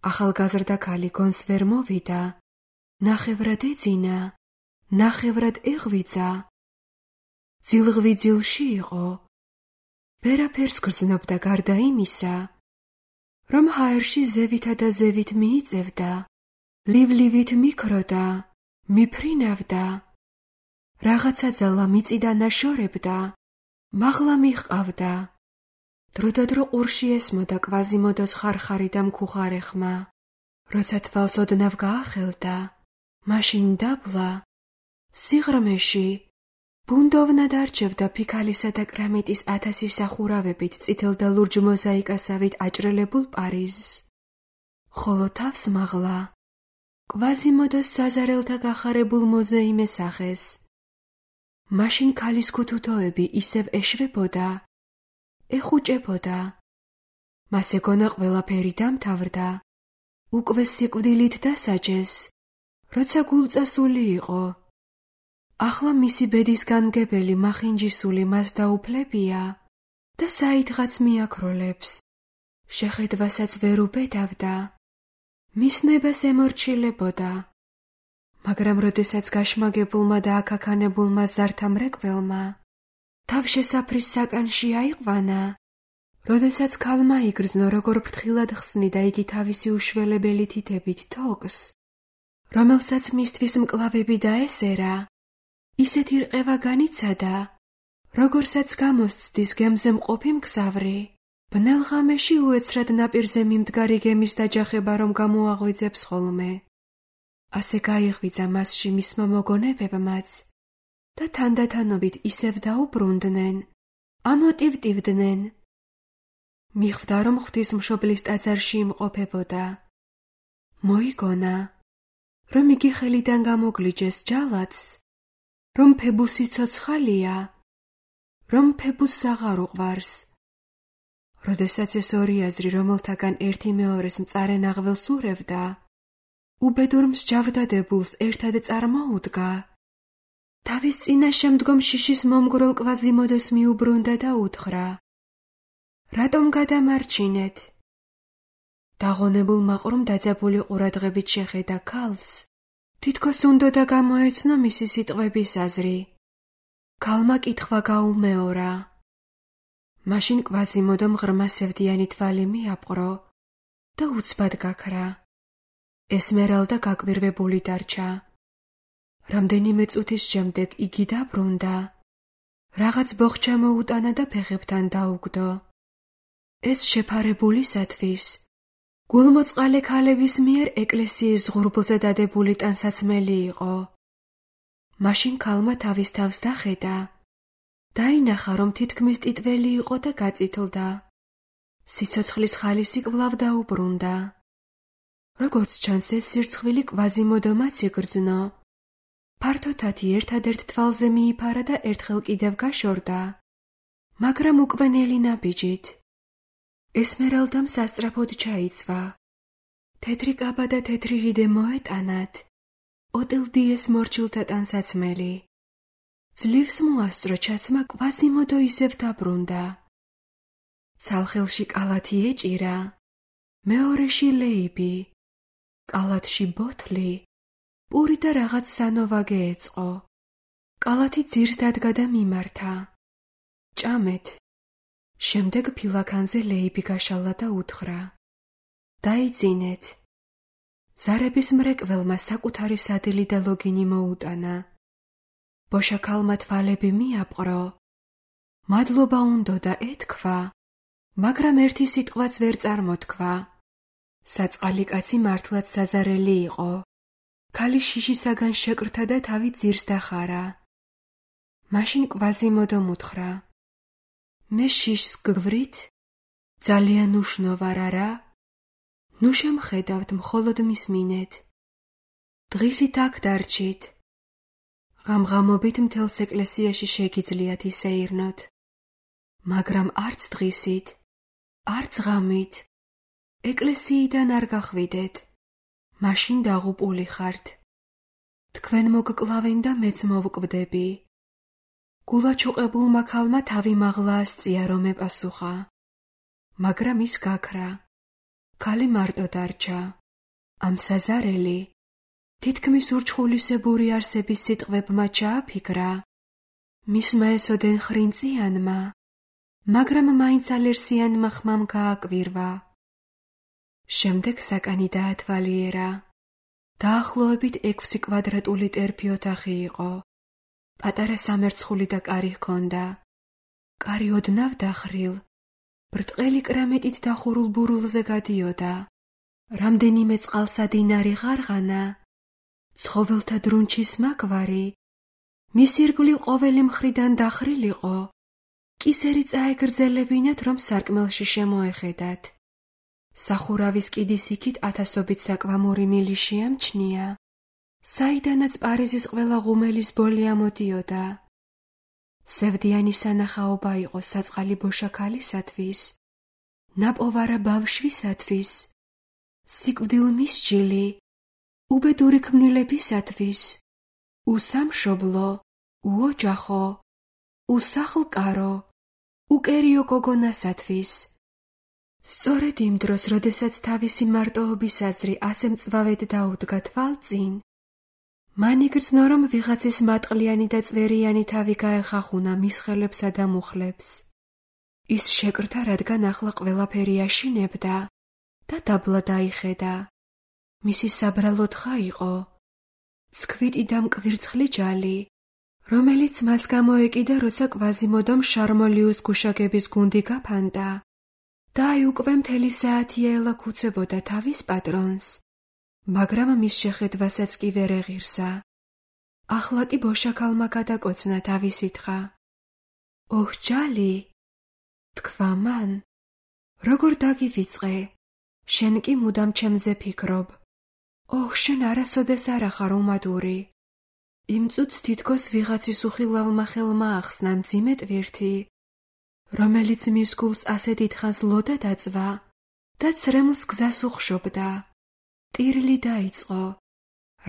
ახალგაზრდა ქალი გონს ვერ მოვიდა, ნახევრად ეძინა, ნახევრად ეღვიძა. ძილღვიძილში იყო. ვერაფერს გრძნობდა გარდა იმისა, რომ ჰაერში ზევითა და ზევით მიიწევდა, ლივლივით მიქროდა, მიფრინავდა. რაღაცა ძალა მიწიდან აშორებდა, მაღლა მიჰყავდა. დროდადრო ყურში ესმოდა კვაზიმოდოს ხარხარი და მქუხარე ხმა. როცა თვალს ოდნავ გაახელდა, მაშინ დაბლა, სიღრმეში, ბუნდოვნად არჩევდა ფიქალისა და კრამიტის ათასი სახურავებით წითელ და ლურჯ მოზაიკასავით აჭრელებულ პარიზს. ხოლო თავს მაღლა, კვაზიმოდოს საზარელთა გახარებულ მოზეიმეს ახეს. მაშინ ქალის ქუთუთოები ისევ ეშვებოდა, ეხუჭებოდა. მას ეგონა ყველაფერი დამთავრდა, უკვე სიკვდილით დასაჯეს, როცა გულწასული იყო. ახლა მისი ბედის განმგებელი მახინჯისული მას დაუფლებია და საიდღაც მიაქროლებს. შეხედვასაც ვერ უბედავდა, მისნებას ემორჩილებოდა. მაგრამ როდესაც გაშმაგებულმა და აკაქანებულმა ზართა მრეკველმა თავშესაფრის საკანში აიყვანა, როდესაც ქალმა იგრძნო, როგორ ფრთხილად ხსნიდა იგი თავისი უშველებელი თითებით თოკს, რომელსაც მისთვის მკლავები დაესერა, ისეთი რყევა განიცადა, როგორცაც გამოსცდის გემზე მყოფი მგზავრი, ბნელ ღამეში უეცრად ნაპირზე მიმდგარი გემის დაჯახება რომ გამოაღვიძებს ხოლმე. ასე გაიღვიძა მასში მისმა მოგონებებმაც და თანდათანობით ისევ დაუბრუნდნენ, ამოტივტივდნენ. მიხვდა, რომ ღვთისმშობლის ტაძარში იმყოფებოდა. მოიგონა, რომ იგი ხელიდან გამოგლიჯეს ჯალათს, რომ ფებუსი ცოცხალია, რომ ფებუსს აღარ უყვარს. როდესაც ეს ორი აზრი რომელთაგან ერთი მეორეს მწარე ნაღველს ურევდა, უბედურ მსჯავრდადებულს ერთად წარმოუდგა. თავის წინაშე მდგომ შიშის მომგვრელ კვაზიმოდოს მიუბრუნდა და უთხრა: რატომ გადამარჩინეთ? დაღონებულ მაყრომ დაძაბული ყურადღებით შეხედა ქალს, თითქოს უნდოდა გამოეცნო მისი სიტყვების აზრი. ქალმა კითხვა გაუმეორა. მაშინ კვაზიმოდომ ღრმა სევდიანი თვალი მიაპყრო და უცბად გაქრა. ესმერალდა გაკვირვებული დარჩა. რამდენიმე წუთის შემდეგ იგი დაბრუნდა. რაღაც ბოხჩა მოუტანა და ფეხებთან დაუგდო. ეს შეფარებულისათვის გულმოწყალე ქალების მიერ ეკლესიის ზღურბლზე დადებული ტანსაცმელი იყო. მაშინ ქალმა თავის თავს დახედა. დაინახა, რომ თითქმის ტიტველი იყო და გაწითლდა. სიცოცხლის ხალისი კვლავ დაუბრუნდა. როგორც ჩანს, ეს სირცხვილი კვაზიმოდომაც იგრძნო. ფართოთათი ერთადერთ თვალზე მიიფარა და ერთხელ კიდევ გაშორდა, მაგრამ უკვე ნელი ნაბიჯით. ესმერალდამ სასწრაფოდ ჩაიცვა. თეთრი კაბა და თეთრი რიდე მოეტანათ. ოტილდიეს მორჩილთა ტანსაცმელი. ძლივს მოასწრო ჩაცმა, კვაზიმოდო ისევ დაბრუნდა. ცალხელში კალათი ეჭირა, მეორეში ლეიბი, კალათში ბოთლი, პური და რაღაც სანოვაგე ეწყო. კალათი ძირს დადგა და მიმართა. ჭამეთ. შემდეგ ფილაქანზე ლეიბი გაშალა და უთხრა: დაიძინეთ. ზარების მრეკველმა საკუთარი სადილი და ლოგინი მოუტანა. ბოშა ქალმა თვალები მიაპყრო. მადლობა უნდოდა ეთქვა, მაგრამ ერთი სიტყვაც ვერ წარმოთქვა. საწყალი კაცი მართლაც საზარელი იყო. ქალი შიშისაგან შეკრთა და თავი ძირს დახარა. მაშინ კვაზიმოდომ უთხრა: მე შიშს გგვრით? ძალიან უშნო ვარ, არა? ნუ შემხედავთ, მხოლოდ მისმინეთ. დღისით აქ დარჩით. ღამღამობით მთელს ეკლესიაში შეგიძლიათ ისეირნოთ, მაგრამ არც დღისით, არც ღამით ეკლესიიდან არ გახვიდეთ, მაშინ დაღუპული ხართ. თქვენ მოგკლავენ და მეც მოვკვდები. გულაჩუყებულმა ქალმა თავი მაღლა ასწია, რომ ეპასუხა, მაგრამ ის გაქრა. ქალი მარტო დარჩა. ამ საზარელი თითქმის ურჩხულისებური არსების სიტყვებმა ჩააფიქრა, მისმა ესოდენ ხრინწიანმა, მაგრამ მაინც ალერსიანმა ხმამ გააკვირვა. შემდეგ საკანი დაათვალიერა. დაახლოებით ექვსი კვადრატული ტერფი ოთახი იყო. პატარა სამერცხული და კარი ჰქონდა. კარი ოდნავ დახრილ, ბრტყელი კრამიტით დახურულ ბურულზე გადიოდა. რამდენიმე წყალსადინარი ღარღანა, ცხოველთა დრუნჩის მაგვარი, მის ირგვლივ ყოველი მხრიდან დახრილიყო, კისერი წაეგრძელებინათ, რომ სარკმელში შემოეხედათ. სახურავის კიდის იქით ათასობით საკვამური მილი შეამჩნია, საიდანაც პარიზის ყველა ღუმელის ბოლი ამოდიოდა. სევდიანი სანახაობა იყო საწყალი ბოშაქალისათვის, ნაპოვარა ბავშვისათვის, სიკვდილ მისჯილი, უბედური ქმნილებისათვის, უსამშობლო, უოჯახო, უსახლკარო, უკერიო გოგონასათვის. სწორედ იმ დროს, როდესაც თავისი მარტოობის აზრი ასე მწვავედ დაუდგა თვალწინ, მან იგრძნო, რომ ვიღაცის მატყლიანი და წვერიანი თავი გაეხახუნა მის ხელებსა და მუხლებს. ის შეკრთა, რადგან ახლა ყველაფერი აშინებდა და დაბლა დაიხედა. მისი საბრალო თხა იყო ცქვიტი და მკვირცხლი ჯალი, რომელიც მას გამოეკიდა, როცა კვაზიმოდომ შარმოლიუს გუშაგების გუნდი გაფანტა და აი უკვე მთელი საათია ელაქუცებოდა თავის პატრონს, მაგრამ მის შეხედვასაც კი ვერ ეღირსა. ახლა კი ბოშაქალმა გადაკოცნა თავისი თხა. ოჰ, ჯალი, თქვა მან, როგორ დაგივიწყე, შენ კი მუდამ ჩემზე ფიქრობ. ოჰ, შენ არასოდეს არ ახარ უმადური. იმ წუთს თითქოს ვიღაცის უხილავმა ხელმა ახსნა მძიმე ტვირთი, რომელიც მის გულს ასე დიდხანს ლოდა დაწვა და ცრემლს გზას უხშობდა. ტირილი დაიწყო.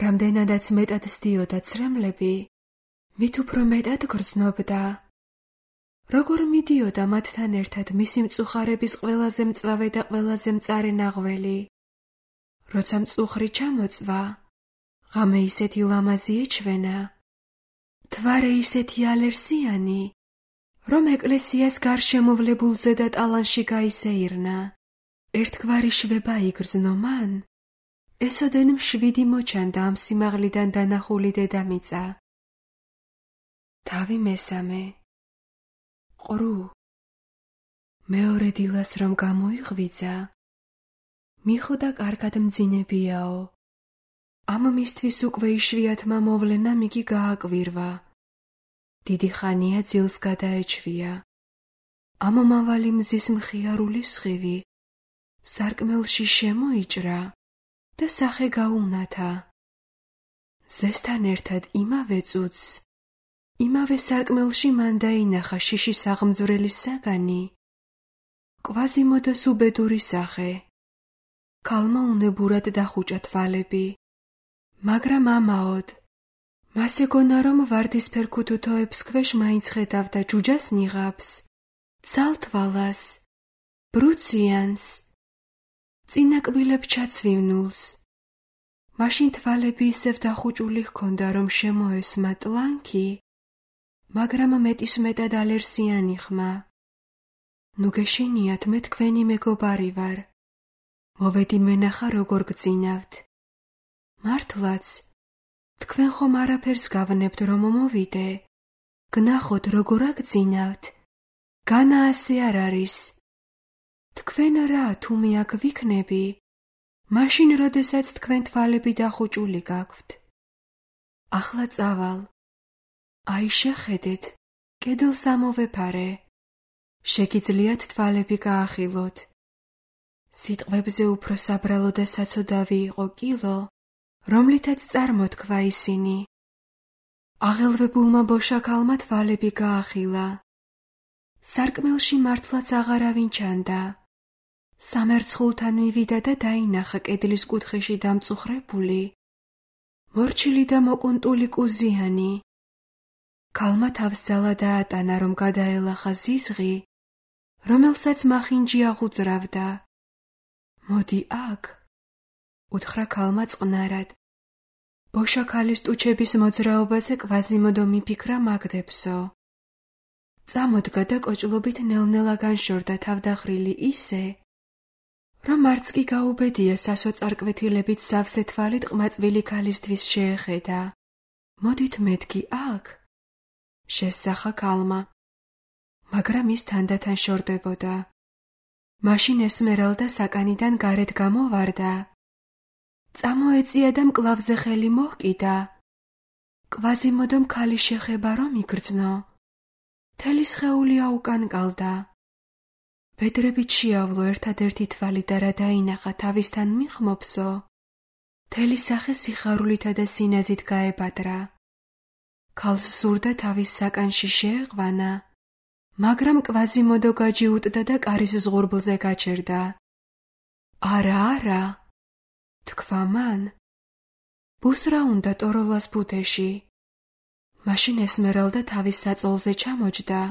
რამდენადაც მეტად სდიოდა ცრემლები, მით უფრო მეტად გრძნობდა. როგორ მიდიოდა მათთან ერთად მისი მწუხარების ყველაზე მწვავე და ყველაზე მწარე ნაღველი. როცა მწუხრი ჩამოწვა, ღამე ისეთი ლამაზი ეჩვენა, მთვარე ისეთი ალერსიანი, რომ ეკლესიას გარშემოვლებულზე და ტალანში გაისეირნა. ერთგვარი შვება იგრძნო მან, ესოდენ მშვიდი მოჩანდა ამ სიმაღლიდან დანახული დედამიწა. თავი მესამე. ყრუ. მეორე დილას რომ გამოიღვიძა, მიხვდა კარგად მძინებიაო. ამ მისთვის უკვე იშვიათმა მოვლენამ იგი გააკვირვა. დიდი ხანია ძილს გადაეჩვია. ამომავალი მზის მხიარული სხივი სარკმელში შემოიჭრა და სახე გაუნათა. ზესთან ერთად იმავე წუთს, იმავე სარკმელში მან დაინახა შიშის აღმძვრელის საგანი, კვაზიმოდოს უბედური სახე. ქალმა უნებურად დახუჭა თვალები, მაგრამ ამაოდ. მას ეგონა, რომ ვარდისფერ ქუთუთოებს ქვეშ მაინც ხედავდა ჯუჯას ნიღაბს, ძალთვალას, ბრუციანს, წინაკბილებ ჩაცვივნულს. მაშინ თვალები ისევ დახუჭული ჰქონდა, რომ შემოესმა ტლანქი, მაგრამ მეტისმეტად ალერსიანი ხმა. ნუ გეშინიათ, მე თქვენი მეგობარი ვარ. მოვედი მენახა როგორ გძინავთ. მართლაც, თქვენ ხომ არაფერს გავნებთ, რომ მოვიდე. გნახოთ როგორ აგძინავთ. განა ასე არ არის. თქვენ რა, თუ მე აქ ვიქნები, მაშინ როდესაც თქვენ თვალები დახუჭული გაქვთ. ახლა წავალ. აი შეხედეთ, კედელს ამოვეფარე. შეგიძლიათ თვალები გაახილოთ. სიტყვებზე უფრო საბრალო და საცოდავი იყო კილო, რომლითაც წარმოთქვა ისინი. აღელვებულმა ბოშაქალმა თვალები გაახილა. სარკმელში მართლაც აღარავინ ჩანდა. სამერცხულთან მივიდა და დაინახა კედლის კუთხეში დამწუხრებული, მორჩილი და მოკუნტული კუზიანი. ქალმა თავს ძალა დაატანა, რომ გადაელახა ზიზღი, რომელსაც მახინჯი აღუძრავდა. მოდი აქ, უთხრა ქალმა წყნარად. ბოშაქალის ტუჩების მოძრაობაზე კვაზიმოდო მიფიქრა მაგდებსო. წამოდგა და კოჭლობით ნელ-ნელა განშორდა თავდახრილი ისე, რომ არც კი გაუბედია სასოწარკვეთილებით სავსე თვალით ყმაწვილი ქალისთვის შეეხედა. მოდით მეთქი აქ, შესძახა ქალმა, მაგრამ ის თანდათან შორდებოდა. მაშინ ესმერალდა საკანიდან გარეთ გამოვარდა. წამოეწია და მკლავზე ხელი მოჰკიდა. კვაზიმოდომ ქალის შეხება რომ იგრძნო. მთელი სხეული აუკანკალდა. ბედრებით შეავლო ერთადერთი თვალი და რა დაინახა თავისთან მიხმობსო, მთელი სახე სიხარულითა და სინაზით გაებადრა. ქალს სურდა თავის საკანში შეეყვანა, მაგრამ კვაზიმოდო გაჯიუტდა და კარის ზღურბლზე გაჩერდა. არა, არა, თქვა მან. ბუს რა უნდა ტოროლას ბუდეში. მაშინ ესმერალდა თავის საწოლზე ჩამოჯდა.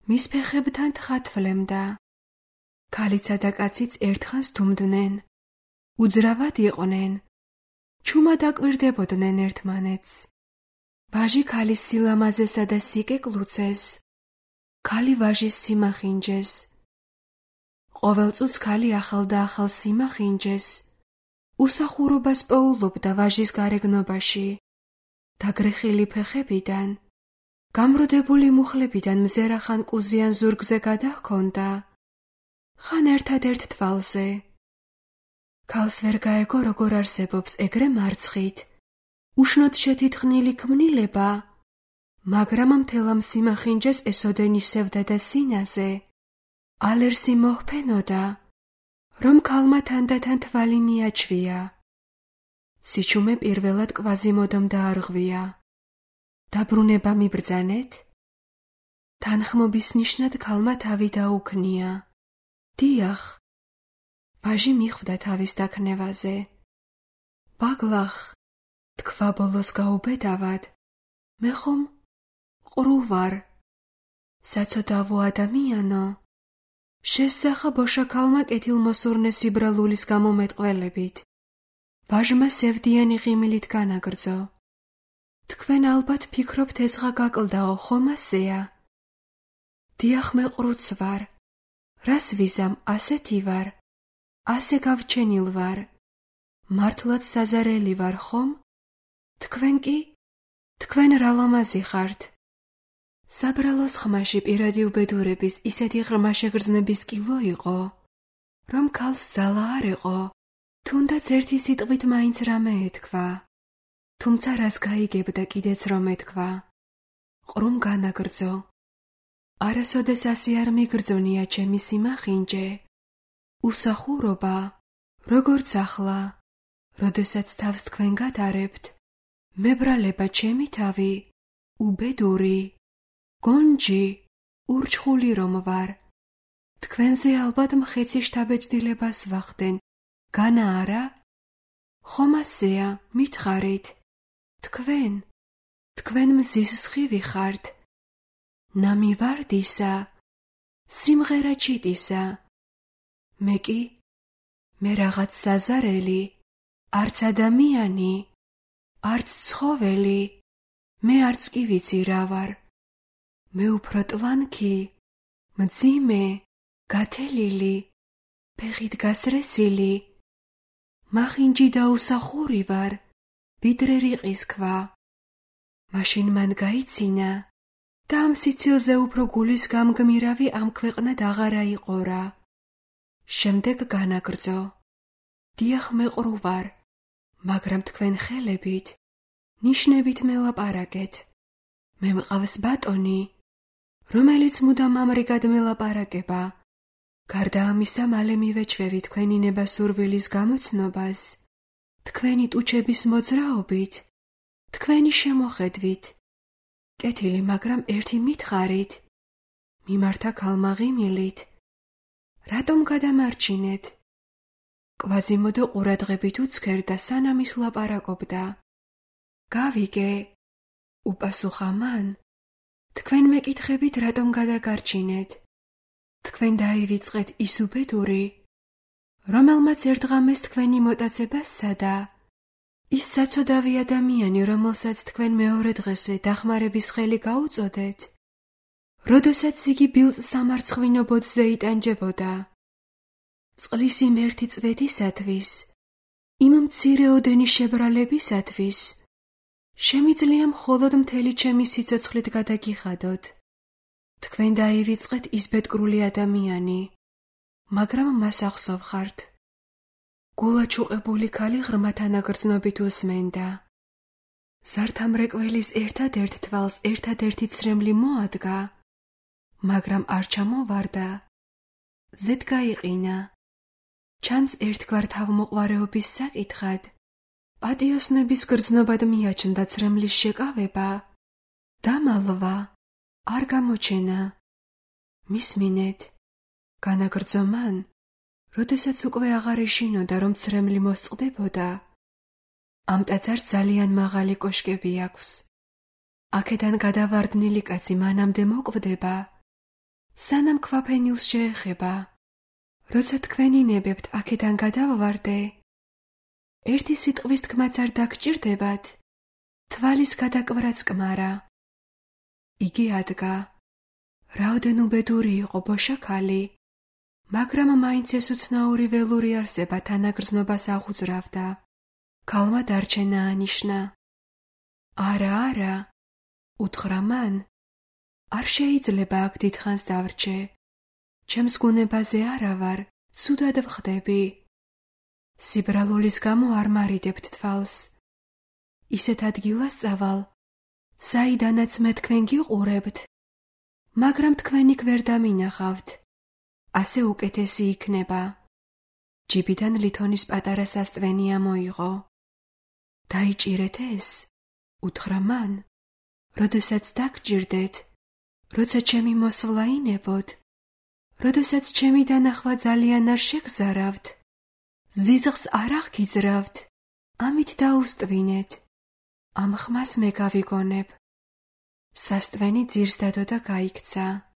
მის ფეხებთან თხა თვლემდა. ქალიცა და კაციც ერთხანს თუმდნენ. უძრავად იყვნენ. ჩუმად აკვირდებოდნენ ერთმანეთს. ვაჟი ქალის სილამაზესა და სიკეკლუცეს, ქალი ვაჟის სიმახინჯეს. ყოველ წუთს ქალი ახალ და ახალ სიმახინჯეს. უსახურობას პოულობდა ვაჟის გარეგნობაში. დაგრეხილი ფეხებიდან, გამროდებული მუხლებიდან მზერა ხან კუზიან ზურგზე გადაჰქონდა, ხან ერთადერთ თვალზე. ქალს ვერ გაეგო როგორ არსებობს ეგრე მარცხით, უშნოდ შეთითხნილი ქმნილება, მაგრამ მთელამ სიმახინჯეს ესოდენისევდა და სინაზე. ალერსი მოჰფენოდა, რომ ქალმა თანდათან თვალი მიაჩვია. სიჩუმე პირველად კვაზიმოდომ დაარღვია. დაბრუნება მიბრძანეთ? თანხმობის ნიშნად ქალმა თავი დაუქნია. დიახ. ვაჟი მიხვდა თავის დაქნევაზე. ბაგლახ, თქვა ბოლოს გაუბედავად, მე ხომ ყრუ ვარ. საცოდავო ადამიანო. შესძახა ბოშაქალმა კეთილმოსურნე სიბრალულის გამომეტყველებით. ვაჟმა სევდიანი ღიმილით განაგრძო. თქვენ ალბათ ფიქრობთ ეზღა გაკლდაო, ხომ ასეა? დიახ, მე ყრუც ვარ. რას ვიზამ, ასეთი ვარ. ასე გავჩენილ ვარ. მართლაც საზარელი ვარ, ხომ? თქვენ კი? თქვენ რა ლამაზი ხართ? საბრალოს ხმაში პირადი უბედურების ისეთი ღრმა შეგრძნების კილო იყო, რომ ქალს ძალა არ ეყო. თუნდაც ერთი სიტყვით მაინც რამე ეთქვა, თუმცა რას გაიგებდა კიდეც რომ ეთქვა. ყრუმ განაგრძო. არასოდეს ასე არ მიგრძვნია ჩემი სიმახინჯე. უსახურობა, როგორც ახლა, როდესაც თავს თქვენ გატარებთ, მებრალება ჩემი თავი, უბედური, გონჯი, ურჩხული რომ ვარ. თქვენზე ალბათ მხეცი შთაბეჭდილებას ვახდენ. განა არა? ხომ ასეა, მითხარით. თქვენ, თქვენ მზის სხივი ხართ. ნამივარდისა, სიმღერა ჩიტისა. მე კი, მე რაღაც საზარელი, არც ადამიანი, არც ცხოველი, მე არც კი ვიცი რა ვარ. მე უფრო ტლანქი, მძიმე, გათელილი, ფეხით გასრესილი, მახინჯი და უსახური ვარ, ვიდრე რიყის ქვა. მაშინ მან გაიცინა და ამ სიცილზე უფრო გულის გამგმირავი ამ ქვეყნად აღარა იყორა. შემდეგ განაგრძო. დიახ, მე ყრუ ვარ, მაგრამ თქვენ ხელებით, ნიშნებით მელაპარაკეთ. მე მყავს ბატონი, რომელიც მუდამ ამრიგად მელაპარაკება. გარდა ამისა, მალე მივეჩვევი თქვენი ნება სურვილის გამოცნობას, თქვენი ტუჩების მოძრაობით თქვენი შემოხედვით, კეთილი, მაგრამ ერთი მითხარით, მიმართა ქალმაღიმილით, რატომ გადამარჩინეთ? კვაზიმოდო ყურადღებით უცქერდა, სანამ ის ლაპარაკობდა. გავიგე, უპასუხა მან, თქვენ მეკითხებით, რატომ გადაგარჩინეთ? თქვენ დაივიწყეთ ის უბედური, რომელმაც ერთღამეს თქვენი მოტაცება სცადა, ის საცოდავი ადამიანი, რომელსაც თქვენ მეორე დღესე დახმარების ხელი გაუწოდეთ, როდესაც იგი ბილწ სამარცხვინო ბოძზე იტანჯებოდა. წყლის იმ ერთი წვეთისათვის, იმ მცირეოდენი შებრალებისათვის, შემიძლია მხოლოდ მთელი ჩემი სიცოცხლით გადაგიხადოთ. თქვენ დაივიწყეთ ის ბედკრული ადამიანი, მაგრამ მას ახსოვხართ. გულაჩუყებული ქალი ღრმა თანაგრძნობით უსმენდა. ზართამრეკველის ერთადერთ თვალს ერთადერთი ცრემლი მოადგა, მაგრამ არ ჩამოვარდა. ზედ გაიყინა. ჩანს ერთგვარ თავმოყვარეობის საკითხად, პატიოსნების გრძნობად მიაჩნდა ცრემლის შეკავება, დამალვა, არ გამოჩენა. მისმინეთ, განაგრძო მან, როდესაც უკვე აღარ ეშინოდა, რომ ცრემლი მოსწყდებოდა. ამ ტაძარს ძალიან მაღალი კოშკები აქვს. აქედან გადავარდნილი კაცი მანამდე მოკვდება, სანამ ქვაფენილს შეეხება. როცა თქვენინებებთ აქედან გადავვარდე, ერთი სიტყვის თქმაც არ დაგჭირდებათ, თვალის გადაკვრაც კმარა. იგი ადგა. რაოდენ უბედური იყო ბოშა ქალი, მაგრამ მაინც ეს უცნაური ველური არსება თანაგრძნობას აღუძრავდა. ქალმა დარჩენა ანიშნა. არა, არა, უთხრა მან, არ შეიძლება აქ დიდხანს დავრჩე. ჩემს გუნებაზე არა ვარ, ცუდად ვხდები. სიბრალულის გამო არ მარიდებთ თვალს. ისეთ ადგილას წავალ, საიდანაც მე თქვენ გიყურებთ, მაგრამ თქვენ იქ ვერ დამინახავთ. ასე უკეთესი იქნება. ჯიბიდან ლითონის პატარა სასტვენი ამოიღო. დაიჭირეთ ეს, უთხრა მან, როდესაც დაგჭირდეთ, როცა ჩემი მოსვლა ინებოდ, როდესაც ჩემი დანახვა ძალიან არ შეგზარავთ, ზიზღს არ აღგიძრავთ, ამით დაუსტვინეთ. ამ ხმას მე გავიგონებ. სასტვენი ძირს დადო და გაიქცა.